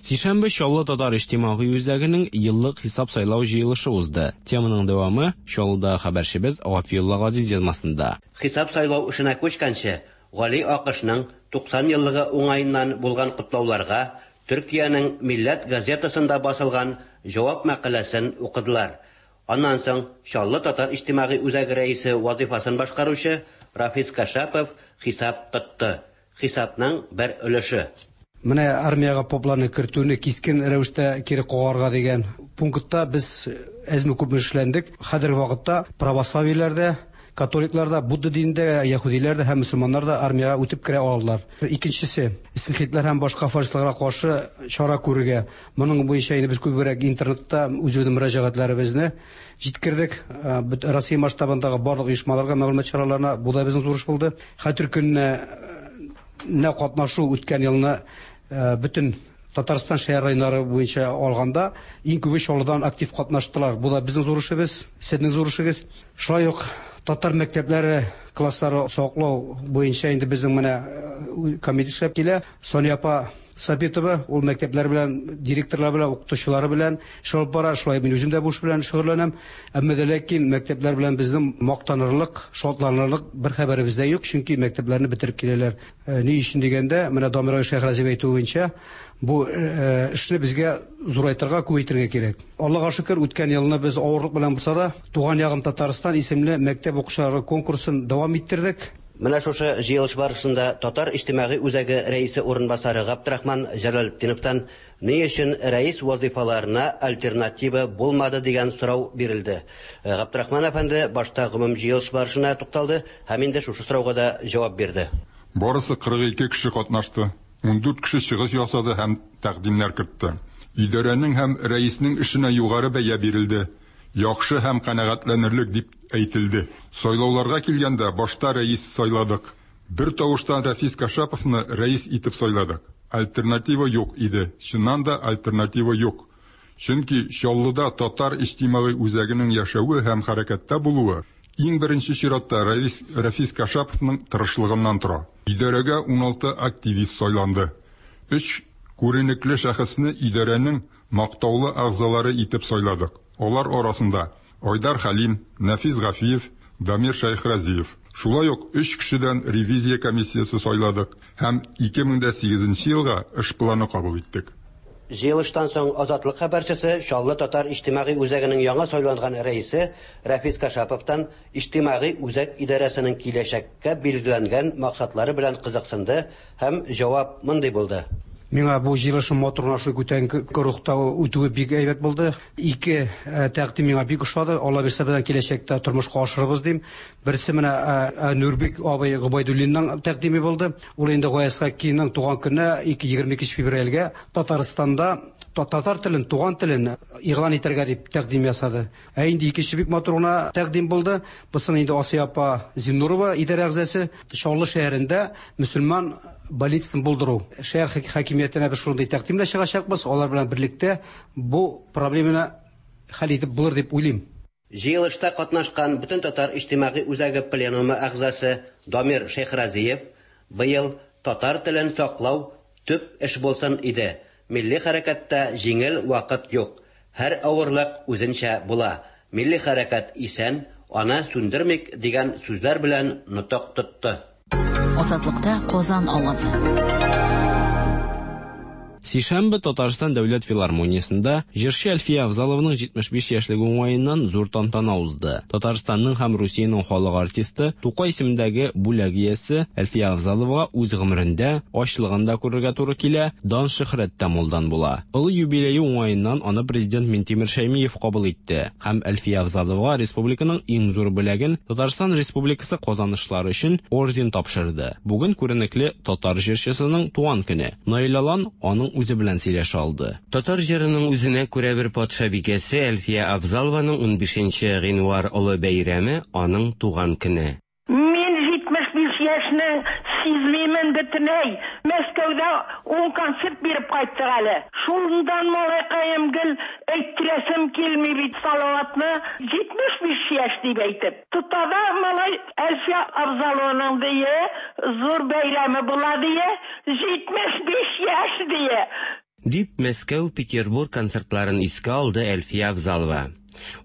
Сишәмбе Чаллы татар иҗтимагый үзәгенең еллык хисап сайлау җыелышы узды. Теманың дәвамы Чаллыда хәбәрчебез Гафиулла Газиз язмасында. Хисап сайлау эшенә күчкәнче, Гали Акышның туксан еллыгы уңаеннан булган котлауларга Төркиянең Милләт газетасында басылган җавап мәкаләсен укыдылар. Аннан соң Чаллы татар иҗтимагый үзәге рәисе вазифасын башкаручы Рафис Кашапов хисап тотты. Хисапның бер өлеше. Менә армиягә попларны кертүне кискен рәвештә кире кагарга дигән пунктта без әзме күпме эшләндек. Хәзерге вакытта православиеләрдә, католикларда, будда динендә, яһүдиләрдә һәм мөселманнарда армиягә үтеп керә алалар. Икенчесе, скинхедлар һәм башка фашистларга каршы чара күрергә. Моның буенча инде без күбрәк интернетта үзебезнең мөрәҗәгатьләребезне җиткердек. Россия масштабындагы барлык оешмаларга, мәгълүмат чараларына бу да безнең зур эш булды. Хәтер көненә нә катнашу үткән елны бөтен Татарстан шәһәр районнары буенча алганда иң күбе Чаллыдан актив катнаштылар. Бу да безнең зур эшебез, сезнең зур эшегез. Шулай ук татар мәктәпләре класслары саклау буенча инде безнең менә комитет эшләп килә. Соня апа Сабитова ул мәктәпләр белән, директорлар белән, укытучылары белән эш алып бара. Шулай мин үзем дә бу эш белән шөгыльләнәм. Әмма дә ләкин мәктәпләр белән безнең мактанырлык, шатланырлык бер хәбәребез дә юк, чөнки мәктәпләрне бетереп киләләр. Ни өчен дигәндә, менә Дамир Шәйхразиев әйтүе буенча, бу эшне безгә зурайтырга, күбәйтергә кирәк. Аллага шөкер, үткән елны без авырлык белән булса да, Туган ягым Татарстан исемле мәктәп укучылары конкурсын дәвам иттердек. Менә шушы җыелыш барышында Татар иҗтимагый үзәге рәисе урынбасары Габдрахман Җәләлетдиновтан ни өчен рәис вазифаларына альтернатива булмады дигән сорау бирелде. Габдрахман әфәнде башта гомум җыелыш барышына тукталды һәм инде шушы сорауга да җавап бирде. Барысы кырык ике кеше катнашты. ун дүрт кеше чыгыш ясады һәм тәкъдимнәр кертте. Идарәнең һәм рәиснең эшенә югары бәя бирелде. Яхшы һәм канәгатьләнерлек дип әйтелде. Сайлауларга килгәндә башта рәис сайладык. Бер тавыштан Рафис Кашаповны рәис итеп сайладык. Альтернатива юк иде. Чыннан да альтернатива юк. Чөнки Чаллыда татар иҗтимагый үзәгенең яшәве һәм хәрәкәттә булуы иң беренче чиратта Рафис, Рафис Кашаповның тырышлыгыннан тора. Идарәгә ун алты активист сайланды. Өч күренекле шәхесне идарәнең мактаулы әгъзалары итеп сайладык. Алар арасында Айдар Хәлим, Нәфис Гафиев, Дамир Шәйхразиев. Шулай ук өч кешедән ревизия комиссиясе сайладык һәм ике мең дә сигезенче елга эш планы кабул иттек. Җыелыштан соң Азатлык хәбәрчесе Чаллы татар иҗтимагый үзәгенең яңа сайланган рәисе Рафис Кашаповтан иҗтимагый үзәк идарәсенең киләчәккә билгеләнгән максатлары белән кызыксынды һәм җавап мондый булды. Миңа бу җыелышның матур гына шул күтәренке рухта үтүе бик әйбәт булды. Ике тәкъдим миңа бик ошады. Алла бирсә, безнең киләчәктә тормышка ашырыбыз дим. Берсе менә Нурбек абый Гобайдуллинның тәкъдиме булды. Ул инде Гаяз Хакимның туган көненә ике егерме икенче февральгә Татарстанда татар телен, туган телен игълан итәргә дип тәкъдим ясады. Ә инде икенче бик матур гына тәкъдим булды. Бусын инде Асия апа Зиннурова идарә әгъзасы Чаллы шәһәрендә мөселман больницасын булдыру. Шәһәр хакимиятенә без шундый тәкъдим белән чыгачакбыз. Алар белән берлектә бу проблеманы хәл итеп булыр дип уйлыйм. Җыелышта катнашкан бөтен татар иҗтимагый үзәге пленумы әгъзасы Дамир Шәйхразиев быел татар телен саклау төп эш булсын иде. Милли хәрәкәттә җиңел вакыт юк. Һәр авырлык үзенчә була. Милли хәрәкәт исән, аны сүндермик дигән сүзләр белән нотык тотты. Азатлыкта Казан авазы. Сишәмбе Татарстан дәүләт филармониясендә җырчы Әлфия Авзалованың җитмеш биш яшьлеге уңаеннан зур тантана узды. Татарстанның һәм Русиянең халык артисты Тукай исемендәге бүләк иясе Әлфия Авзаловага үз гомерендә ачлыгын да күрергә туры килә, дан шөһрәт тә мулдан була. Олы юбилее уңаеннан аны президент Минтимер Шәймиев кабул итте һәм Әлфия Авзаловага республиканың иң зур бүләген Татарстан Республикасы казанышлары өчен орден тапшырды. Бүген күренекле татар җырчысының туган көне. Наил Алан аның үзе белән сөйләшә алды. Татар җырының үзенә күрә бер патшабикәсе Әлфия Авзалованың унбишенче гыйнвар олы бәйрәме аның туган көне. Мин җитмеш биш яшьне сизмимен бөтенләй. Мәскәүдә ун концерт биреп кайттык әле. Шундан малайкаем гел әйттерәсем килми бит Салаватны җитмеш биш яшь дип әйтеп. Тотада малай Әлфия Авзалованың дие зур бәйрәме була дие җитмеш биш яшь дие. Дип Мәскәү, Петербург концертларын искә алды Әлфия Авзалова.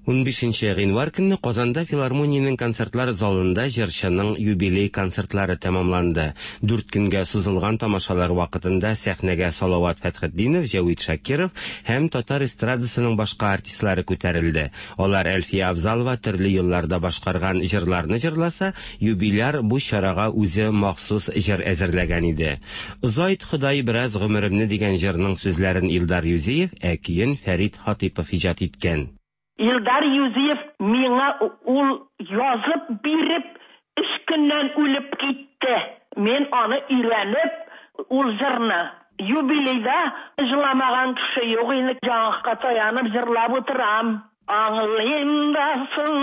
Унбишенче гыйнвар көнне Казанда филармониянең концертлар залында җырчының юбилей концертлары тәмамланды. Дүрт көнгә сузылган тамашалар вакытында сәхнәгә Салават Фәтхетдинов, Җәвит Шакиров һәм татар эстрадасының башка артистлары күтәрелде. Алар Әлфия Авзалова төрле елларда башкарган җырларны җырласа, юбиляр бу чарага үзе махсус җыр әзерләгән иде. Озайт Ходай бераз гомеремне дигән җырның сүзләрен Илдар Юзиев, ә көен Фәрит Хатипов иҗат иткән. Илдар Юзиев миңа ул язып биреп, өч көннән үлеп китте. Мин аны өйрәнеп, ул җырны юбилейда җырламаган кеше юк инде, җаңакка таянып җырлап утырам. Аңлыйм да соң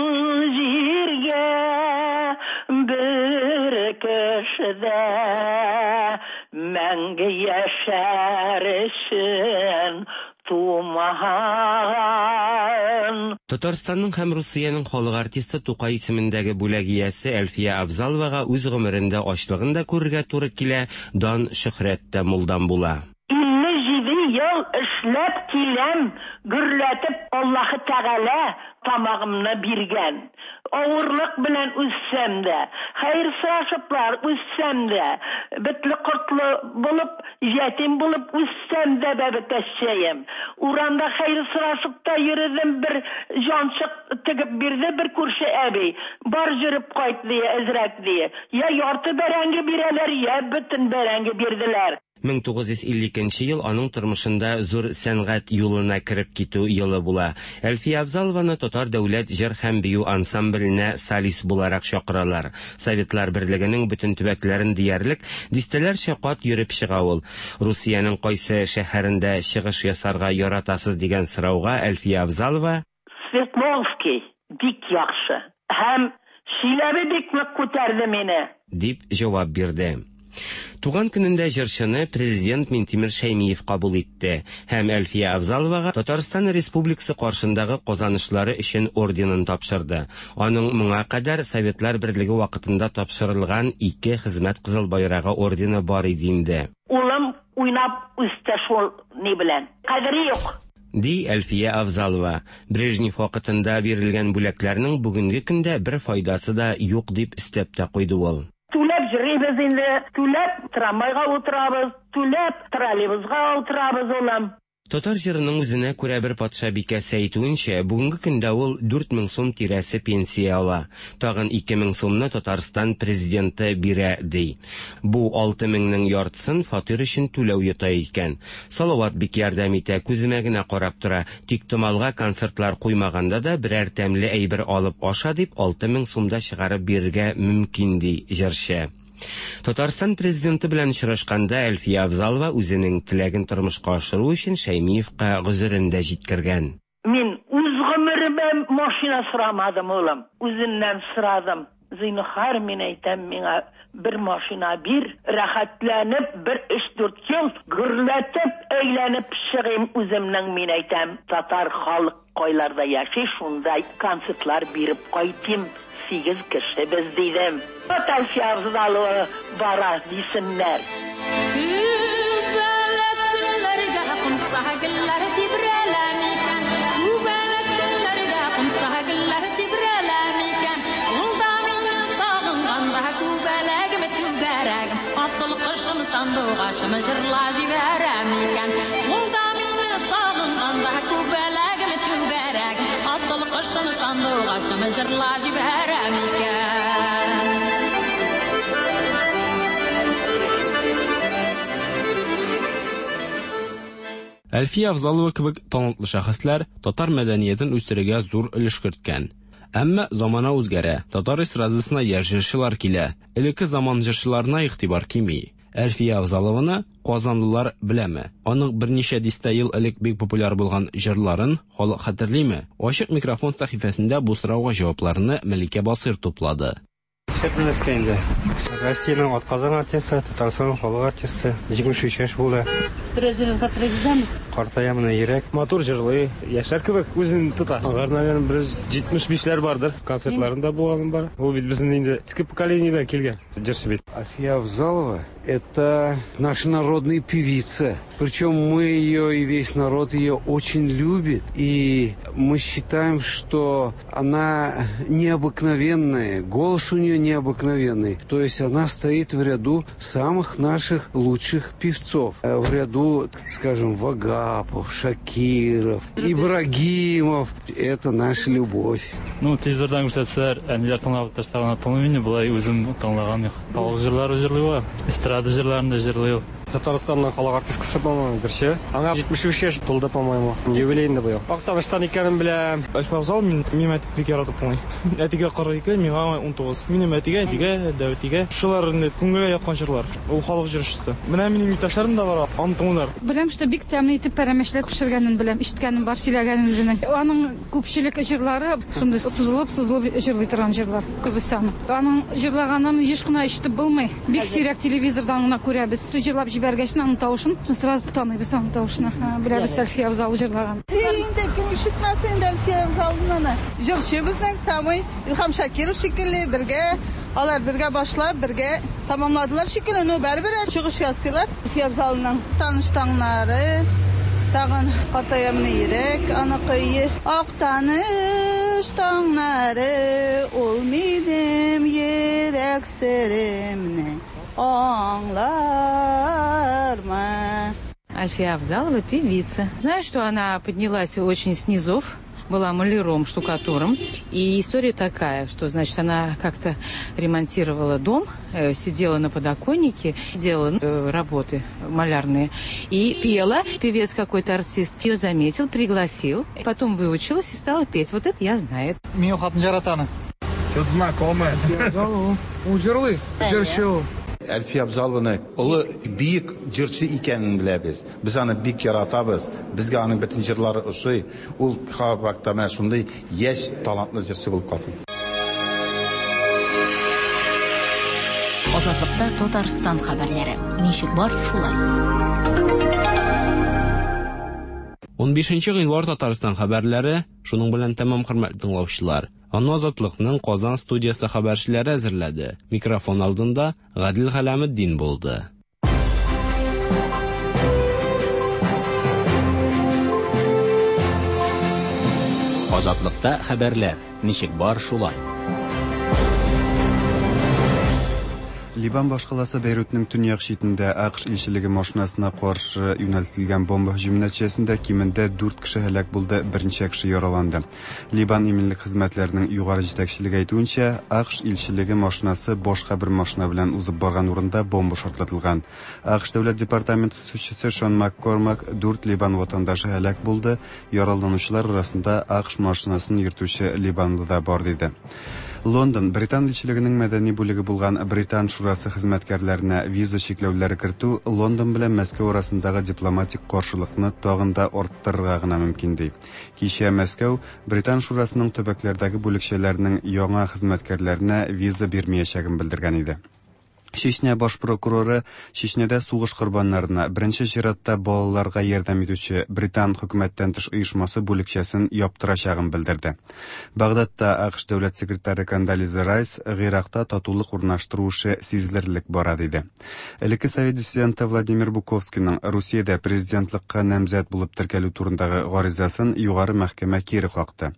җиргә бер кешедә мәңге яшәр өчен тумаган. Татарстанның һәм Русиянең халык артисты Тукай исемендәге бүләк иясе Әлфия Авзаловага үз гомерендә ачлыгын да күрергә туры килә, дан шөһрәт тә мулдан була. Илле җиде ел эшләп киләм, гөрләтеп Аллаһы Тәгалә тамагымны биргән. Авырлык белән үссәм дә, хәер сорашыплар үссәм дә, бетле кортлы булып, ятим булып үссәм дә бәбекәшчәем. Урамда хәер сорашып та йөрдем, бер җанчык тегеп бирде бер күрше әби. Бар йөреп кайт дие, әзрәк дие. Я ярты бәрәңге бирәләр, я бөтен бәрәңге бирделәр. мең тугыз йөз илле икенче ел аның тормышында зур сәнгать юлына кереп китү елы була. Әлфия Авзалованы Татар дәүләт җыр һәм бию ансамбленә солист буларак чакыралар. Советлар Берлегенең бөтен төбәкләрен диярлек дистәләрчә кат йөреп чыга ул. Русиянең кайсы шәһәрендә чыгыш ясарга яратасыз дигән сорауга Әлфия Авзалова: Свердловский бик яхшы һәм Чиләбе бик нык күтәрде мине, дип җавап бирде. Туган көнендә җырчыны президент Минтимер Шәймиев кабул итте һәм Әлфия Авзаловага Татарстан Республикасы каршындагы казанышлары өчен орденын тапшырды. Аның моңа кадәр Советлар Берлеге вакытында тапшырылган ике хезмәт кызыл байрагы ордены бар иде инде. Улым уйнап үсте шул ни белән. Кадере юк, ди Әлфия Авзалова. Брежнев вакытында бирелгән бүләкләрнең бүгенге көндә бер файдасы да юк дип өстәп тә куйды ул. Түләп йөрибез инде, түләп трамвайга утырабыз, түләп троллейбусга утырабыз, улым. Татар җырының үзенә күрә бер патшабикәсе әйтүенчә, бүгенге көндә ул дүрт мең сум тирәсе пенсия ала. Тагын ике мең сумны Татарстан президенты бирә, ди. Бу алты меңнең яртысын фатир өчен түләү йота икән. Салават бик ярдәм итә, күземә генә карап тора. Тик томалга концертлар куймаганда да берәр тәмле әйбер алып аша дип алты мең сумда чыгарып бирергә мөмкин, ди җырчы. Татарстан президенты белән очрашканда Әлфия Авзалова үзенең теләген тормышка ашыру өчен Шәймиевка гозерен дә җиткергән. Мин үз гомеремә машина сорамадым, улым. Үзеннән сорадым. Зинһар, мин әйтәм, миңа бер машина бир, рәхәтләнеп бер өч-дүрт ел гөрләтеп әйләнеп чыгыйм үземнең, мин әйтәм, татар халык кайларда яши, шунда концертлар биреп кайтыйм. Сигез кеше без дидем. Әлфия Авзалова бара дисеннәр. Күбәләк көннәргә кунса гөлләр тибрәлә микән? Күбәләк көннәргә кунса гөлләр тибрәлә микән? Ул да мине сагынганда күбәләгем түгәрәгем, асыл кошым сандугачым җырла җибәрә микән? Ул да мине сагынганда күбәләгем түгәрәгем, асыл кошым сандугачым җырла җибәрә микән? Әлфия Авзалова кебек талантлы шәхесләр татар мәдәниятен үстерергә зур өлеш керткән. Әмма замана үзгәрә, татар эстрадасына яшь җырчылар килә. Элекке заман җырчыларына игътибар кими. Әлфия Авзалованы казанлылар беләме? Аның берничә дистә ел элек бик популяр булган җырларын халык хәтерлиме? Ачык микрофон сәхифәсендә бу сорауга җавапларны Мәликә Басыр туплады. Шәп белмәскә инде. Россиянең атказанган артисты, Татарстанның халык артисты, җитмеш өч яшь булды. Бераз җырын хәтерләгезме? Картая менә йөрәк. Матур җырлый, яшьләр кебек үзен тота. Алар, наверное, бер җитмеш бишләр бардыр. Концертларында булганым бар. Ул бит безнең инде иске поколениедән килгән җырчы бит. Әлфия Авзалова — это наша народная певица. Причем мы ее и весь народ ее очень любит. И мы считаем, что она необыкновенная, голос у нее необыкновенный. То есть она стоит в ряду самых наших лучших певцов. В ряду, скажем, Вагапов, Шакиров, Ибрагимов. Это наша любовь. Ну, телевизордан күрсәтсәләр, әниләр тыңлап торса гына тыңлыйм инде, болай үзем тыңлаган юк. Халык җырлары җырлый ул, эстрада җырларын да җырлый ул. Татарстанның халык артисткасы, по-моему, җырчы. Аңа җитмеш өч яшь тулды, по-моему. Юбилей инде быел. Актаныштан икәнен беләм. Әлфия Авзалова мин, минем әти бик яратып тыңлый. Әтигә кырык ике, миңа унтугыз. Минем әтигә, әтигә, дәүәтигә. Шулар инде күңелгә яткан җырлар. Ул халык җырчысы. Менә минем иптәшләрем дә бар, аны тыңлыйлар. Беләм, что бик тәмле итеп пәрәмәчләр пешергәнен беләм, ишеткәнем бар, сөйләгәнен үзенең. Аның күпчелек җырлары шундый сузылып, сузылып җырлый торган җырлар. Күбесе аның. Аның җырлаганын еш кына ишетеп булмый. Бик сирәк телевизордан гына күрәбез. Җырлап җибәргәч, аның тавышын сразу таныйбыз, аның тавышын. Беләбез, Әлфия Авзалова җырлаган. Инде кем ишетмәсен инде Әлфия Авзалованы. Җырчы безнең самый Илһам Шакиров шикелле бергә, алар бергә башлап, бергә тамамладылар шикелле, но бәрбер чыгыш ясыйлар. Әлфия Авзалованың таныш таңнары, тагын картаямны йөрәк, аныкы ак таныш таңнары, ул минем йөрәк серемне аңлармы. Альфия Авзалова певица. Знаю, что она поднялась очень с низов, была маляром, штукатуром. И история такая, что, значит, она как-то ремонтировала дом, сидела на подоконнике, делала работы малярные и пела. Певец какой-то артист ее заметил, пригласил, потом выучилась и стала петь. Вот это я знаю. Минем хатын яратаны. Что-то знакомое. Авзалова. Ул җырлый, җырчы ул. Әлфия Авзалованы олы бөек җырчы икәнен беләбез. Без аны бик яратабыз. Безгә аның бөтен җырлары ошый. Ул хабакта менә шундый яшь талантлы җырчы булып калсын. Азатлыкта Татарстан хәбәрләре. Ничек бар, шулай. Унбишенче гыйнвар Татарстан хәбәрләре шуның белән тәмам, хөрмәтле тыңлаучылар. Аны Азатлыкның Казан студиясе хәбәрчеләре әзерләде. Микрофон алдында Гадил Хәләметдин булды. Азатлыкта хәбәрләр. Ничек бар, шулай. Либан башкаласы Бейрутның төньяк читендә АКШ илчелеге машинасына каршы юнәлтелгән бомба һөҗүме нәтиҗәсендә кимендә дүрт кеше һәлак булды, берничә кеше яраланды. Либан иминлек хезмәтләренең югары җитәкчелеге әйтүенчә, АКШ илчелеге машинасы башка бер машина белән узып барган урында бомба шартлатылган. АКШ дәүләт департаменты сүзчесе Шон Маккормак дүрт Либан ватандашы һәлак булды, яраланучылар арасында АКШ машинасын йөртүче либанлы да бар диде. Лондон Британ илчелегенең мәдәни бүлеге булган Британ шурасы хезмәткәрләренә виза чикләүләре кертү Лондон белән Мәскәү арасындагы дипломатик каршылыкны тагын да арттырырга гына мөмкин ди. Кичә Мәскәү Британ шурасының төбәкләрдәге бүлекчәләренең яңа хезмәткәрләренә виза бирмәячәген белдергән иде. Чечня баш прокуроры Чечнядә сугыш корбаннарына, беренче чиратта балаларга ярдәм итүче Британ хөкүмәттән тыш оешмасы бүлекчәсен яптырачагын белдерде. Багдадта АКШ дәүләт секретаре Кондолиза Райс Гыйракта татулык урнаштыру эше сизелерлек бара диде. Элекке совет диссиденты Владимир Буковскийның Русиядә президентлыкка намзәт булып теркәлү турындагы гаризасын югары мәхкәмә кире какты.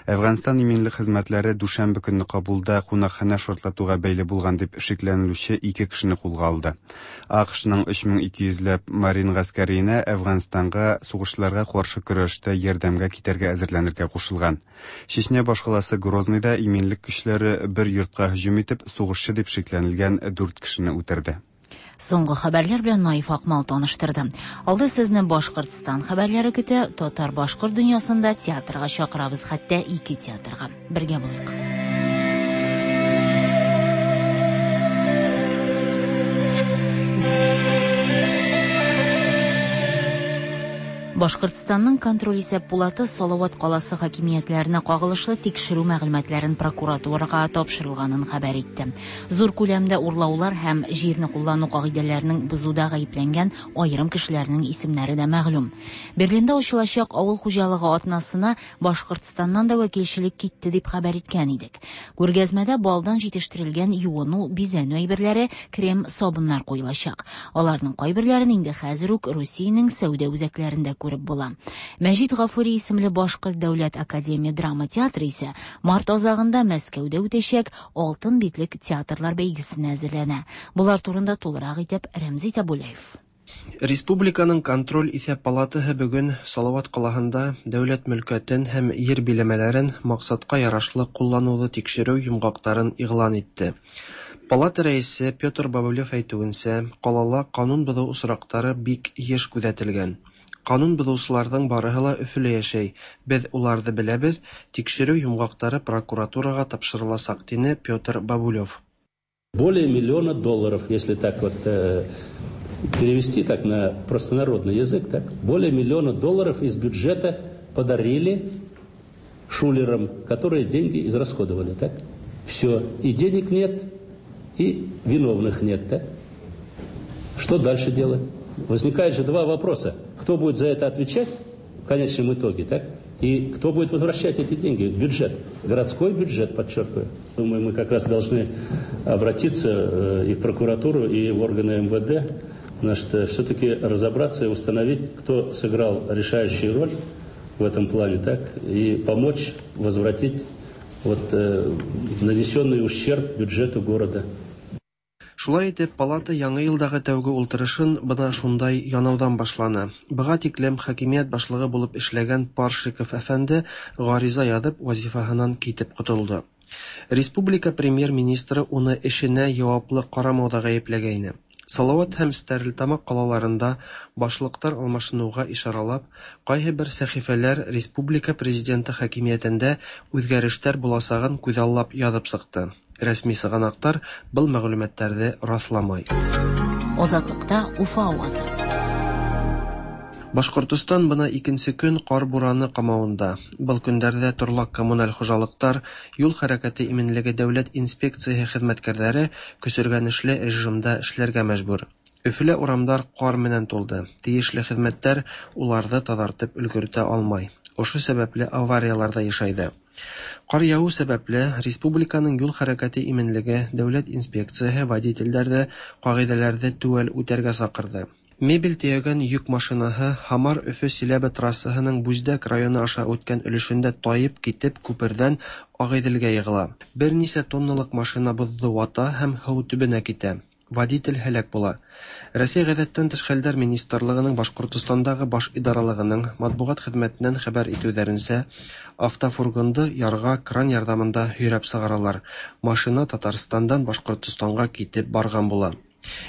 Әфганстан иминлек хезмәтләре дүшәмбе көнне Кабулда кунакханә шартлатуга бәйле булган дип шикләнелүче ике кешене кулга алды. АКШның өч мең ике йөзләп марин гаскәренә Әфганстанга сугышларга каршы көрәштә ярдәмгә китәргә әзерләнергә кушылган. Чечня башкаласы Грозныйда иминлек көчләре бер йортка һөҗүм итеп, сугышчы дип шикләнелгән дүрт кешене үтерде. Соңгы хәбәрләр белән Наиф Акмал таныштырды. Алда сезне Башкортстан хәбәрләре көтә. Татар-башкорт дөньясында театрга чакырабыз, хәтта ике театрга. Бергә булыйк. Башкортстанның контроль исәп пулаты Салават каласы хакимиятләренә кагылышлы тикшерү мәгълүматларын прокуратурага тапшырылганын хәбәр итте. Зур күләмдә урлаулар һәм җирне куллану кагыйдәләренең бозуда гаепләнгән аерым кешеләрнең исемнәре дә мәгълүм. Берлинда ачылачак авыл хуҗалыгы атнасына Башкортстаннан да вәкилчелек китте дип хәбәр иткән идек. Күргәзмәдә балдан җитештерелгән юыну, бизәнү әйберләре, крем, сабыннар куелачак. Аларның кайберләрен инде хәзер үк Русиянең сәүдә үзәкләрендә күреп була. Мәҗит Гафури исемле Башкорт дәүләт академия драма театры исә март азагында Мәскәүдә үтәчәк Алтын битлек театрлар бәйгесенә әзерләнә. Булар турында тулырак итеп Рәмзи Табулаев. Республиканың контроль исәп палатаһы бүген Салават калаһында дәүләт мөлкәтен һәм ер биләмәләрен максатка ярашлы куллануны тикшерү йомгакларын игълан итте. Палата рәисе Петр Бабылев әйтүенчә, калала канун бозу очраклары бик еш күзәтелгән. Канун бозучыларның барыһы ла Өфөлә яшәй. Без уларны беләбез, тикшерү йомгаклары прокуратурага тапшырылачак, дине Петр Бабулев. Более миллиона долларов, если так вот э, перевести так на простонародный язык, так, более миллиона долларов из бюджета подарили шулерам, которые деньги израсходовали, так? Все, и денег нет, и виновных нет, так? Что дальше делать? Возникает же два вопроса. Кто будет за это отвечать в конечном итоге, так? И кто будет возвращать эти деньги в бюджет? Городской бюджет, подчеркиваю. Думаю, мы как раз должны обратиться и в прокуратуру, и в органы МВД, значит, все-таки разобраться и установить, кто сыграл решающую роль в этом плане, так? И помочь возвратить вот, э, нанесенный ущерб бюджету города. Шулай итеп, палата яңа елдагы тәүге ултырышын бына шундай янаудан башлана. Быға тиклем хакимият башлыгы булып эшләгән Паршиков әфәнде гариза язып вазифаһынан китеп котылды. Республика премьер-министры уны эшенә яваплы карамауда гаепләгәйне. Салават һәм Стәрлетамак калаларында башлыктар алмашынуга ишаралап, кайһы бер сәхифәләр республика президенты хакимиятендә үзгәрешләр буласагын күзаллап язып чыкты. Рәсми сыганаклар был мәгълүматларны расламай. Азатлыкта Уфа авазы. Башкортостан бына икенче көн кар бураны камавында. Был көндәрҙә торлаҡ коммуналь хужалыҡтар, юл хәрәкәте именлеге дәүләт инспекцияһы хеҙмәткәрҙәре көсөргәнешле режимда эшләргә мәжбүр. Өфөлә урамдар ҡар менән тулды. Тейешле хеҙмәттәр уларҙы таҙартып өлгөртә алмай. Ошо сәбәпле авариялар ҙа йышайҙы. Ҡар яуыу сәбәпле республиканың юл хәрәкәте именлеге дәүләт инспекцияһы водителдәрҙе ҡағиҙәләрҙе теүәл үтәргә саҡырҙы. Мебель төягән йөк машинаһы Һамар-Өфө-Силәбе трассаһының Бүздәк районы аша үткән өлешендә таеп китеп, күпердән Агыйделгә егыла. Берничә тонналык машина бозды вата һәм һыу төбенә китә. Водитель һәлак була. Рәсәй Гадәттән тыш хәлләр министрлыгының Башкортостандагы баш идаралыгының матбугат хезмәтеннән хәбәр итүләренчә, автофургонды ярга кран ярдәмендә һөйрәп чыгаралар. Машина Татарстандан Башкортостанга китеп барган була.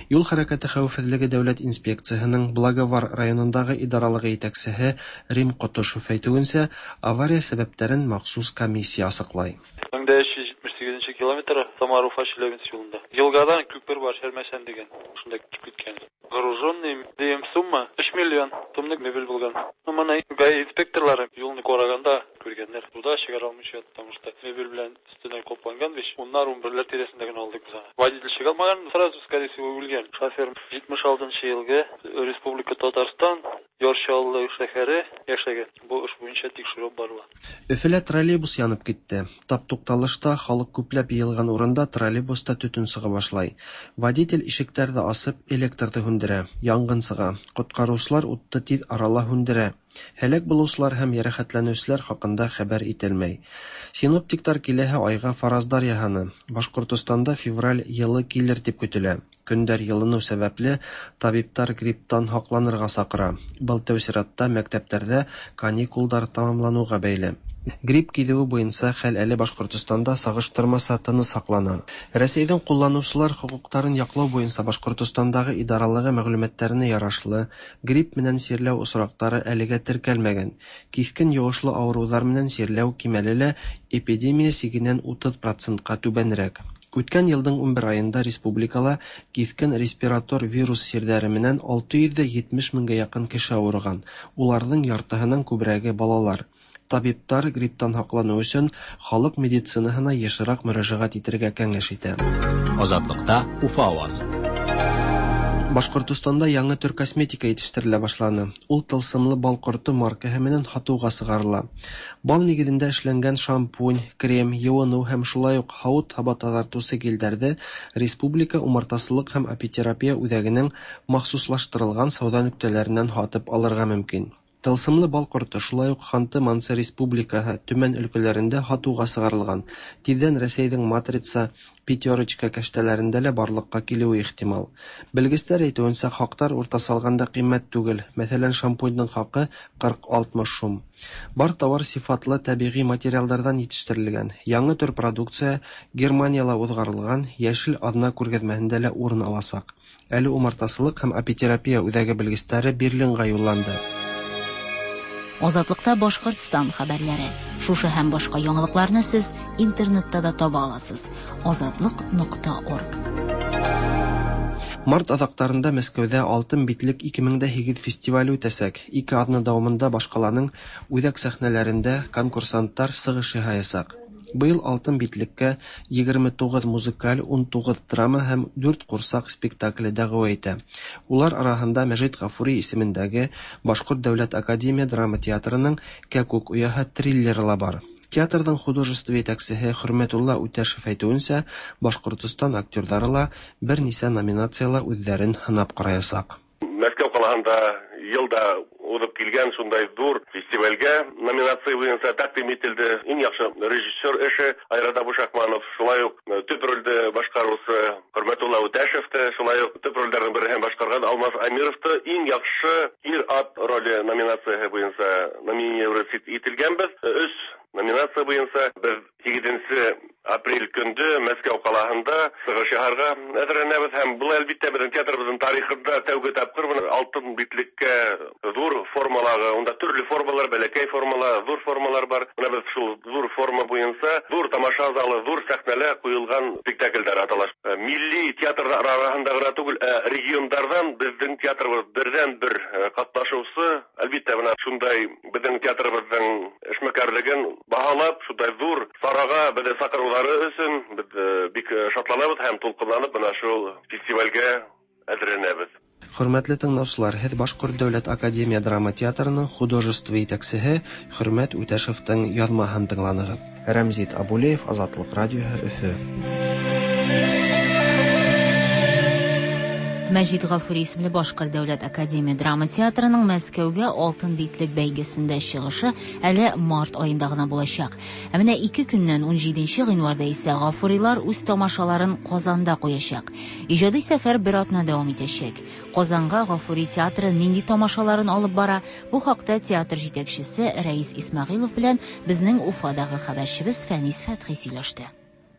Юл хәрәкәте хәвефсезлеге дәүләт инспекцияһының Благовар районындагы идаралыгы итәкчеһе Рим Котышев әйтүенчә, авария сәбәпләрен махсус комиссия асыклай. мең дә өч йөз җитмеш сигезенче километр Самар-Уфа Челябинск юлында. Елгадан күпер бар, Чәрмәшән дигән. Шунда китеп киткән. Груженный дигән сумма өч миллион сумлык мебель булган. Ну, моны ГАИ инспекторлары юлны караганда күргәннәр. Суда чыгара алмыйча, потому что мебель белән өстенә капланган бит. Уннар, унберләр тирәсендә генә алдык без аны. Водитель чыга алмаган, сразу, скорее всего, үлгән. Шофер җитмеш алтынчы елгы Республика Татарстан, Яр Чаллы шәһәре яшәгән. Бу эш буенча тикшерү барыла. Өфөлә троллейбус янып китте. Тап тукталышта халык күпләп йыелган урында троллейбуста төтен чыга башлай. Водитель ишекләрне асып, электрны һүндерә. Янгын чыга. Коткаручылар утты тиз арала һүндерә. Һәлак булучылар һәм ярәхәтләнүчеләр хакында хәбәр ителмәй. Синоптиктар киләһе айга фараздар яһаны. Башкортостанда февраль йылы килер дип көтелә. Көндәр йылыну сәбәпле табиптар грипптан һакланырга сакыра. Был тәү чиратта мәктәпләрдә каникулдар тамамлануга бәйле. Грипп килүе буенча хәл әле Башкортостанда сагыштырмаса тыныч саклана. Рәсәйдән кулланучылар хокукларын яклау буенча Башкортостандагы идаралыгы мәгълүматларына ярашлы, грипп менән чирләү очраклары әлегә теркәлмәгән. Кискен йогышлы авырулар менән чирләү кимәле лә эпидемия сигеннән утыз процентка түбәнрәк. Үткән елдың унбер айында республикала кискен респиратор вирус чирләре менән алты йөз дә җитмеш меңгә якын кеше авырган. Уларның яртыһының күбрәге балалар. Табиптар грипптан һаклану өчен халык медицинаһына ешрак мөрәҗәгать итәргә киңәш итә. Азатлыкта Уфа авазы. Башкортостанда яңа төр косметика җитештерелә башланы. Ул тылсымлы бал корты маркаһы менән һатуга чыгарыла. Бал нигезендә эшләнгән шампунь, крем, юыну һәм шулай ук һавыт-һаба тазартучы гельдәрҙе Республика умартасылык һәм апитерапия үҙәгенең махсуслаштырылган сауҙа нөктәләреннән һатып алырға мөмкин. Тылсымлы бал корты шулай ук Ханты-Мансы Республикаһы Төмән өлкәләрендә һатыуға сығарылған. Тиҙҙән Рәсәйҙең Матрица, Пятерочка кәштәләрендә лә барлыҡҡа килеүе ихтимал. Белгестәр әйтеүенсә, хаҡтар уртаса алғанда ҡиммәт түгел. Мәҫәлән, шампуньдың хаҡы ҡырҡ алтмыш һум. Бар тауар сифатлы тәбиғи материалдарҙан етештерелгән. Яңы төр продукция Германияла уҙғарылған Йәшел аҙна күргәҙмәһендә лә урын аласаҡ. Әле умартасылыҡ һәм апитерапия үҙәге белгестәре Берлинға юлланды. Азатлыкта Башкортстан хәбәрләре. Шушы һәм башка яңалыкларны сез интернетта да таба аласыз. Азатлык нокта орг. Март аҙаҡтарында Мәскәүҙә Алтын битлек ике мең дә һигеҙ фестивале үтәсәк. Ике аҙна дауамында башҡаланың үҙәк сәхнәләрендә конкурсанттар сығыш яһаясаҡ. Быйыл Алтын битлеккә егерме туғыҙ музыкаль, ун туғыҙ драма һәм дүрт ҡурсаҡ спектакле дәғүә итә. Улар араһында Мәжит Ғафури исемендәге Башҡорт дәүләт академия драма театрының Кәкүк ояһы триллеры ла бар. Театрҙың художество етәксеһе Хөрмәтулла Үтәшев әйтеүенсә, Башҡортостан актерҙары ла бер нисә номинацияла үҙҙәрен һынап ҡараясаҡ. Мәскәү ҡалаһында йылда уҙып килгән шундай ҙур фестивальгә номинация буйынса тәҡдим ителде. Иң яҡшы режиссер эше Айрат Абушахманов, шулай уҡ төп ролде башҡарыусы Хөрмәтулла Үтәшев тә, шулай уҡ төп ролдәрҙең береһен башҡарған Алмаз Амиров та иң яҡшы ир-ат роле номинацияһы буйынса номинировать ителгәнбеҙ. Өс номинация буйынса беҙ һигеҙенсе апрель көндө Мәскәү ҡалаһында сығыш яһарға әҙерләнәбеҙ һәм был әлбиттә беҙҙең театрыбыҙҙың тарихында тәүге тапҡыр бына алтын битлеккә ҙур формалағы, унда төрлө формалар, бәләкәй формалар, ҙур формалар бар. Бына беҙ шул ҙур форма буйынса ҙур тамаша залы, ҙур сәхнәлә ҡуйылған спектаклдәр атала. Милли театрҙар араһында ғына түгел, ә региондарҙан беҙҙең театрыбыҙ берҙән-бер ҡатнашыусы. Әлбиттә, бына шундай беҙҙең театрыбыҙҙың эшмәкәрлеген баһалап, шундай ҙур сараға беҙҙе саҡырыуҙары өсөн беҙ бик шатланабыҙ һәм тулҡынланып бына шул фестивальгә әҙерләнәбеҙ. Хөрмәтле тыңлаусылар, һеҙ Башҡорт дәүләт академия драма театрының художество етәксеһе Хөрмәт Үтәшевтең яҙмаһын тыңланығыҙ. Рәмзит Абулеев, Азатлыҡ радиоһы, Өфө. Мәҗит Гафури исемле Башкорт дәүләт академия драма театрының Мәскәүгә Алтын битлек бәйгесендә чыгышы әле март аенда гына булачак. Ә менә ике көннән унҗиденче гыйнварда исә Гафурилар үз тамашаларын Казанда куячак. Иҗади сәфәр бер атна дәвам итәчәк. Казанга Гафури театры нинди тамашаларын алып бара? Бу хакта театр җитәкчесе Рәис Исмәгыйлов белән безнең Уфадагы хәбәрчебез Фәнис Фәтхи сөйләште.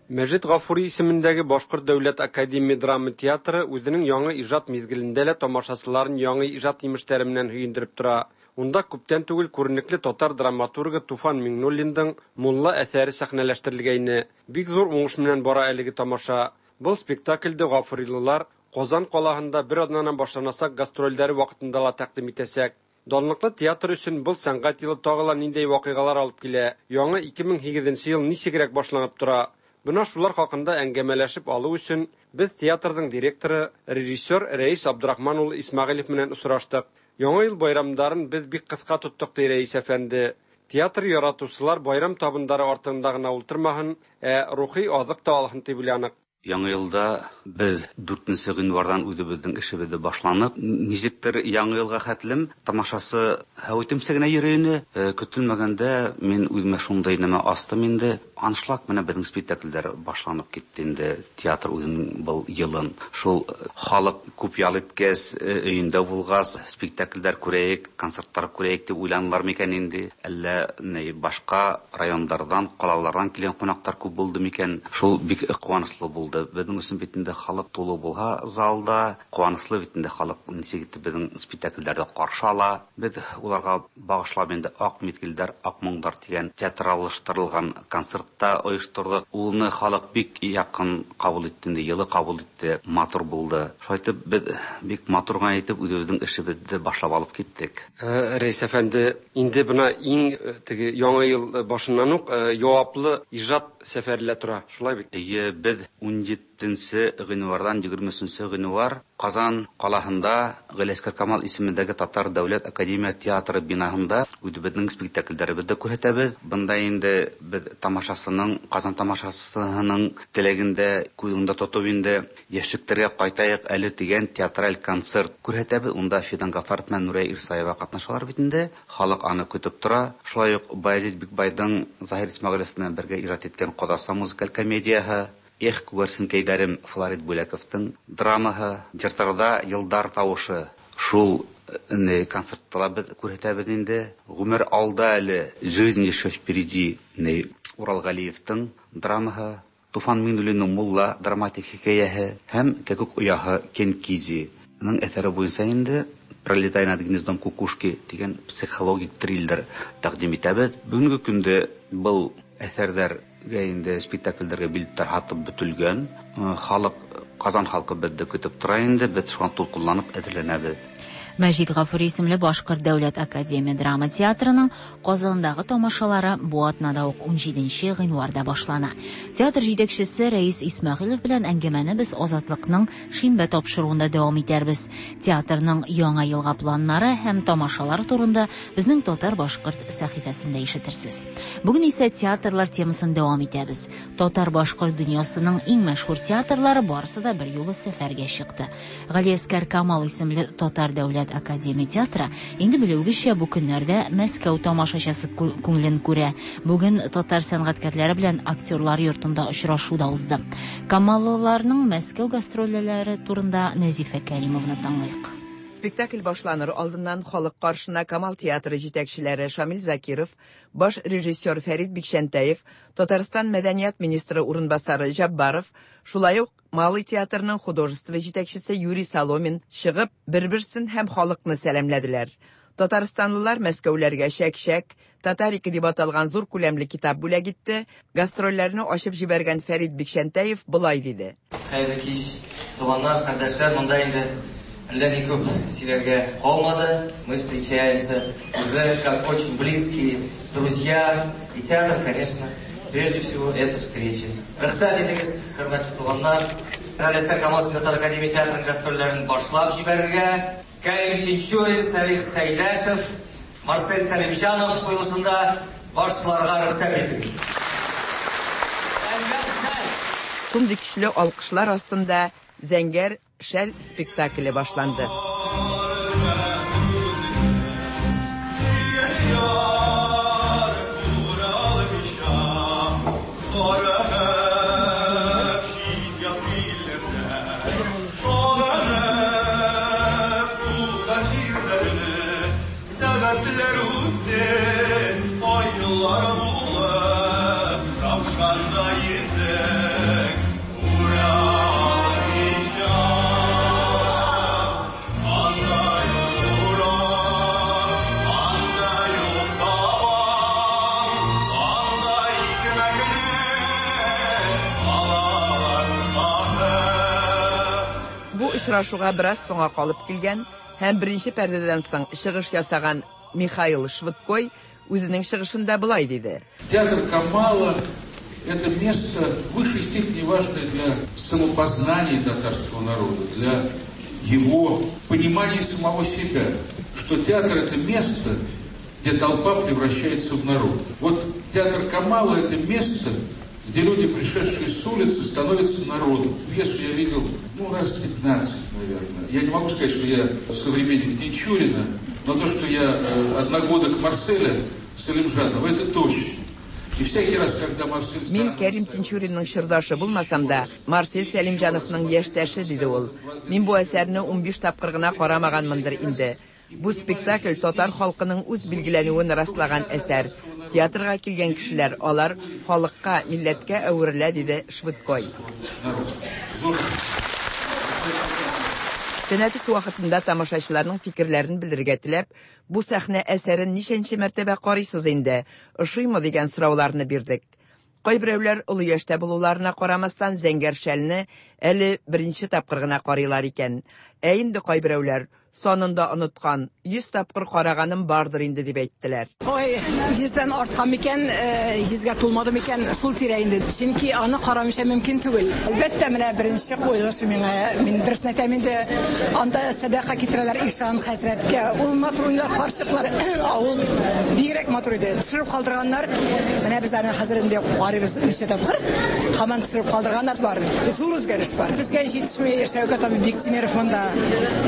Мәҗит Гафури исемендәге Башкорт дәүләт академия драма театры үзенең яңа иҗат мизгелендә лә тамашачыларын яңа иҗат имешләре белән һөендереп тора. Унда күптән түгел күренекле татар драматургы Туфан Миңнуллинның Мулла әсәре сәхнәләштерелгәйне. Бик зур уңыш белән бара әлеге тамаша. Был спектакльдә гафурилылар Казан калаһында бер атнанан башланасак гастрольләре вакытында ла тәкъдим итәсәк. Данлыклы театр өчен был сәнгать елы тагы ла ниндәй вакыйгалар алып килә. Яңа ике мең һигеҙенсе йыл нисегерәк башланып тора. Бына шулар хакында әңгәмәләшеп алыу өсөн беҙ театрҙың директоры, режиссер Рәис Абдрахман улы Исмәғилев менән осраштыҡ. Яңа йыл байрамдарын беҙ бик ҡыҫҡа тоттоҡ, ти Рәис әфәнде. Театр яратыусылар байрам табындары артында ғына ултырмаһын, ә рухи аҙыҡ та алһын тип уйланыҡ. Яңа йылда беҙ дүртенсе ғинварҙан үҙебеҙҙең эшебеҙҙе башланып, нисектер яңы йылға хәтлем тамашасы һәүетемсә генә йөрөй ине. Көтөлмәгәндә мин үҙемә шундай нәмә астым инде. Аншлаг менән беҙҙең спектакльдәр башланып китте инде. Театр үҙенең был йылын шул халыҡ күп ял иткәс, өйөндә булғас, спектакльдәр күрәйек, концерттар күрәйек тип уйланылар микән инде? Әллә ни башҡа райондарҙан, ҡалаларҙан килгән ҡунаҡтар күп булды микән? Шул бик ҡыуаныслы булды. Беҙҙең өсөн бит инде халыҡ тулы булһа залда, ҡыуаныслы бит инде халыҡ нисек итеп беҙҙең спектакльдәрҙе ҡаршы ала. Беҙ уларға бағышлап инде Аҡ миҙгелдәр, аҡ моңдар тигән театраллаштырылған концертта ойошторҙоҡ. Уны халыҡ бик яҡын ҡабул итте инде, йылы ҡабул итте, матур булды. Шулай итеп беҙ бик матур ғына итеп үҙебеҙҙең эшебеҙҙе башлап алып киттек. Рәис әфәнде, инде бына иң теге яңы йыл башынан уҡ яуаплы ижад сәфәре лә тора, шулай бит? Эйе, беҙ ун етенсе ғинварҙан егерме өсөнсө ғинвар Ҡазан ҡалаһында Ғәлиәсғәр Камал исемендәге Татар дәүләт академия театры бинаһында үҙебеҙҙең спектаклдәребеҙҙе күрһәтәбеҙ. Бында инде беҙ тамашасының, Ҡазан тамашасының теләгендә күҙ уңында тотоп инде йәшлектәргә ҡайтайыҡ әле тигән театраль концерт күрһәтәбеҙ. Унда Фидан Ғафаров менән Нурия Ирсаева ҡатнашалар бит инде. Халыҡ аны көтөп тора. Шулай уҡ Баязит Бикбайҙың Заһир Исмәғилев менән бергә ижад иткән Ҡоҙаса музыкаль комедияһы, Эх, күгәрсенкәйҙәрем Флорид Бүләковтың драмаһы, Йыртарҙа йылдар тауышы. Шул концертта ла беҙ күрһәтәбеҙ инде. Ғүмер алда әле, Жизнь еще впереди, Урал Ғәлиевтың драмаһы, Туфан Миңнуллиндың Мулла драматик хикәйәһе һәм Кәкүк ояһы Кенкизиның әҫәре буйынса инде Пролетая над гнездом кукушки тигән психологик триллер тәҡдим итәбеҙ. Бөгөнгө көндә был әҫәрҙәр инде спектакльдәргә билеттар һатып бөтөлгән. Халыҡ, Ҡазан халҡы беҙҙе көтөп тора инде, беҙ шуға тулҡынланып әҙерләнәбеҙ. Мәҗит Гафури исемле Башкорт дәүләт академия драма театрының Казандагы тамашалары бу атнада ук унҗиденче гыйнварда башлана. Театр җитәкчесе Рәис Исмәгыйлев белән әңгәмәне без Азатлыкның шимбә тапшыруында дәвам итәрбез. Театрның яңа елга планнары һәм тамашалар турында безнең Татар-башкорт сәхифәсендә ишетерсез. Бүген исә театрлар темасын дәвам итәбез. Татар-башкорт дөньясының иң мәшһүр театрлары барысы да бер юлы сәфәргә чыкты. Галиәсгар Камал исемле Татар дәүләт академия театры инде белүегезчә бу көннәрдә Мәскәү тамашачысы күңелен күрә. Бүген татар сәнгатькәрләре белән актерлар йортында очрашу да узды. Камаллыларның Мәскәү гастрольләре турында Нәзифә Кәримовна тыңлыйк. Спектакль башланыр алдыннан халык каршына Камал театры җитәкчеләре Шамил Закиров, баш режиссер Фәрит Бикчәнтәев, Татарстан мәдәният министры урынбасары Җаббаров, шулай ук Малый театрының художество җитәкчесе Юрий Соломин чыгып, бер-берсен һәм халыкны сәламләделәр. Татарстанлылар Мәскәүләргә чәк-чәк, Татарика дип аталган зур күләмле китап бүләк итте. Гастрольләрне ачып җибәргән Фәрит Бикчәнтәев болай диде. Хәерле кич, туганнар, кардәшләр, монда инде әллә ни күп сөйләргә калмады. Мы встречаемся уже как очень близкие друзья. И театр, конечно, прежде всего, это встреча. Рөхсәт итегез, хөрмәтле туганнар, Галиәсгар Камал татар академия театрының гастрольләрен башлап җибәрергә. Кәрим Тинчурин, Салих Сәйдәшев, Марсель Сәлимҗанов куелышында башларга рөхсәт итегез. Шундый көчле алкышлар астында зәңгәр шәл спектакле башланды. Бу очрашуга бераз соңга калып килгән һәм беренче пәрдәдән соң чыгыш ясаган Михаил Швыдкой үзенең чыгышында болай диде. Театр Камала – это место в высшей степени важное для самопознания татарского народа, для его понимания самого себя, что театр – это место, где толпа превращается в народ. Вот театр Камала – это место, где люди, пришедшие с улицы, становятся народом. Пьесу я видел, ну, раз пятнадцать, наверное. Я не могу сказать, что я современник Тинчурина, но то, что я одногодок Марселя Салимжанова, это точно. И всякий раз, когда Марсель... Мин Кәрим Тинчуринның чордашы булмасам да, Марсель Сәлимҗановның яшьтәше, диде ул. Мин бу әсәрне унбиш тапкыр гына карамаганмындыр инде. Бу спектакль татар халкының үз билгеләнүен раслаган әсәр. Театрга килгән кешеләр, алар халыкка, милләткә әверелә, диде Швыдкой. Тәнәфес вакытында тамашачыларның фикерләрен белдерергә теләп, бу сәхнә әсәрен ничәнче мәртәбә карыйсыз инде, ошыймы дигән сорауларны бирдек. Кайберәүләр олы яшьтә булуларына карамастан зәңгәр шәлне әле беренче тапкыр гына карыйлар икән. Ә инде кайберәүләр санында оныткан, йөз тапкыр караганым бардыр инде дип әйттеләр. Ой, йөздән арткан микән, йөзгә тулмады микән, шул тирә инде. Чөнки аны карамыйча мөмкин түгел. Әлбәттә, менә беренче куелыш миңа, мин дөресен әйтәм инде, анда сәдака китерәләр ишан хәзрәткә. Ул матур уйнар карчыклар, авыл бигрәк матур иде. Төшереп калдырганнар. Менә без аны хәзер инде карыйбыз ничә тапкыр. Һаман төшереп калдырганнар бар. Зур үзгәреш бар. Безгә җитешми Шәүкәт абый Биктимеров монда.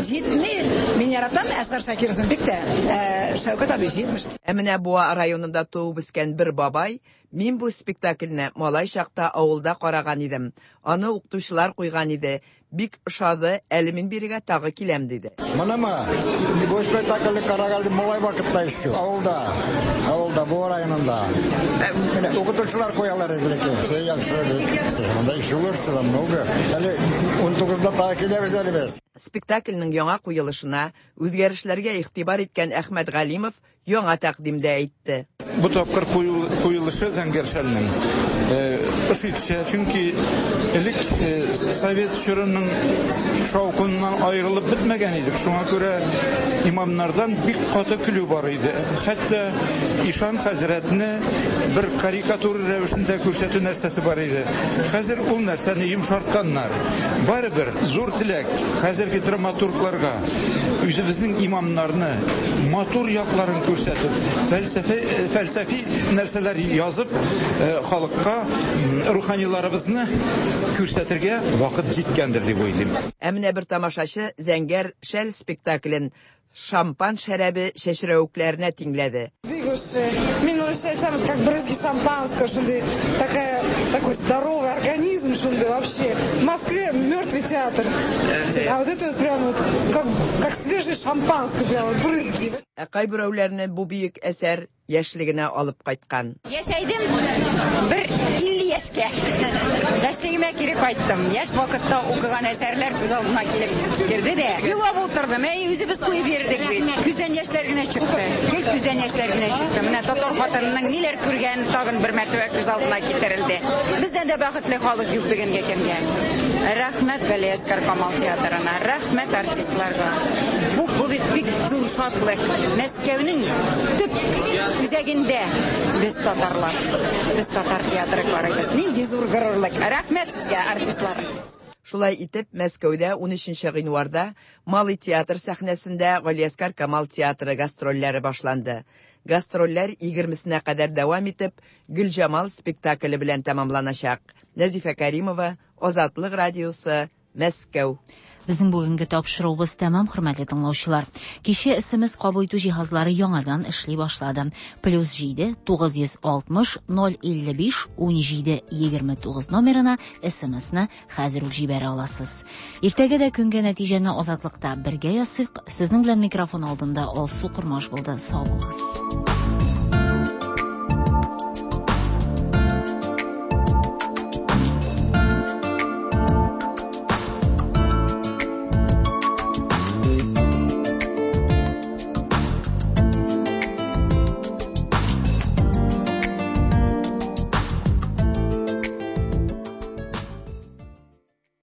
Җитми. Мин яратам Әсгар Шакировны бик тә. Шәүкәт абый җитмеш. Ә менә Буа районында туып үскән бер бабай, мин бу спектакльне малай чакта авылда караган идем. Аны укытучылар куйган иде. Бик ошады, әле мин бирегә тагы киләм, диде. Монымы? Бу спектакльне караган идем малай вакытта еще. Авылда, авылда, Буа районында. Менә укытучылар куялар иде ләкин. Все яхшы бик. Монда еще лучше намного. Әле унтугызда тагы киләбез әле без. Спектакльнең яңа куелышына үзгәрешләргә игътибар иткән Әхмәт Галимов яңа тәкъдимдә әйтте. Бу тапкыр куелышы зәңгәр шәлнең ошый төшә, чөнки элек совет чорының шаукыннан аерылып бетмәгән идек. Шуңа күрә имамнардан бик каты көлү бар иде. Хәтта ишан хәзрәтне бер карикатура рәвешендә күрсәтү нәрсәсе бар иде. Хәзер ул нәрсәне йомшартканнар. Барыбер зур теләк хәзерге драматургларга үзебезнең имамнарны матур якларын күрсәтеп, фәлсәфи, фәлсәфи нәрсәләр язып, халыкка руханиларыбызны күрсәтергә вакыт җиткәндер дип уйлыйм. Ә менә бер тамашачы Зәңгәр шәл спектаклен шампан шәрабе чәчрәвекләренә тиңләде. Мин урысча әйтсәм, это как брызги шампанского, шундый такая, такой здоровый организм, шундый вообще. В Москве мертвый театр. А вот это вот прям вот как, как свежее шампанское, прям вот брызги. Ә кайберәүләрне бу бөек әсәр яшьлегенә алып кайткан. Яшәйдем бер илле яшькә. Яшьлегемә кире кайттым. Яшь вакытта укыган әсәрләр күз алдыма килеп керде дә. Елап утырдым. Әй, үзебез куеп йөрдек бит. Күздән яшьләр генә чыкты. Гел күздән яшьләр генә чыкты. Менә татар хатынының ниләр күргәне тагын бер мәртәбә күз алдына китерелде. Бездән дә бәхетле халык юк бүгенге көнгә. Рәхмәт Галиәсгар Камал театрына, рәхмәт артистларга. Бу, бу бит бик зур шатлык. Мәскәүнең төп үзәгендә без татарлар, без татар театры карыйбыз. Нинди зур горурлык. Рәхмәт сезгә, артистлар. Шулай итеп, Мәскәүдә унөченче гыйнварда Малый театр сәхнәсендә Галиәсгар Камал театры гастрольләре башланды. Гастрольләр егермесенә кадәр дәвам итеп, Гөлҗамал спектакле белән тәмамланачак. Нәзифә Каримова, Азатлык радиосы, Мәскәү. Безнең бүгенге тапшыруыбыз тәмам, хөрмәтле тыңлаучылар. Кичә С М С кабул итү җиһазлары яңадан эшли башлады. Плюс җиде тугыз йөз алтмыш ноль илле биш унҗиде егерме тугыз номерына С М Сны хәзер үк җибәрә аласыз. Иртәгә дә көнгә нәтиҗәне Азатлыкта бергә ясыйк. Сезнең белән микрофон алдында Алсу Кормаш булды. Сау булыгыз.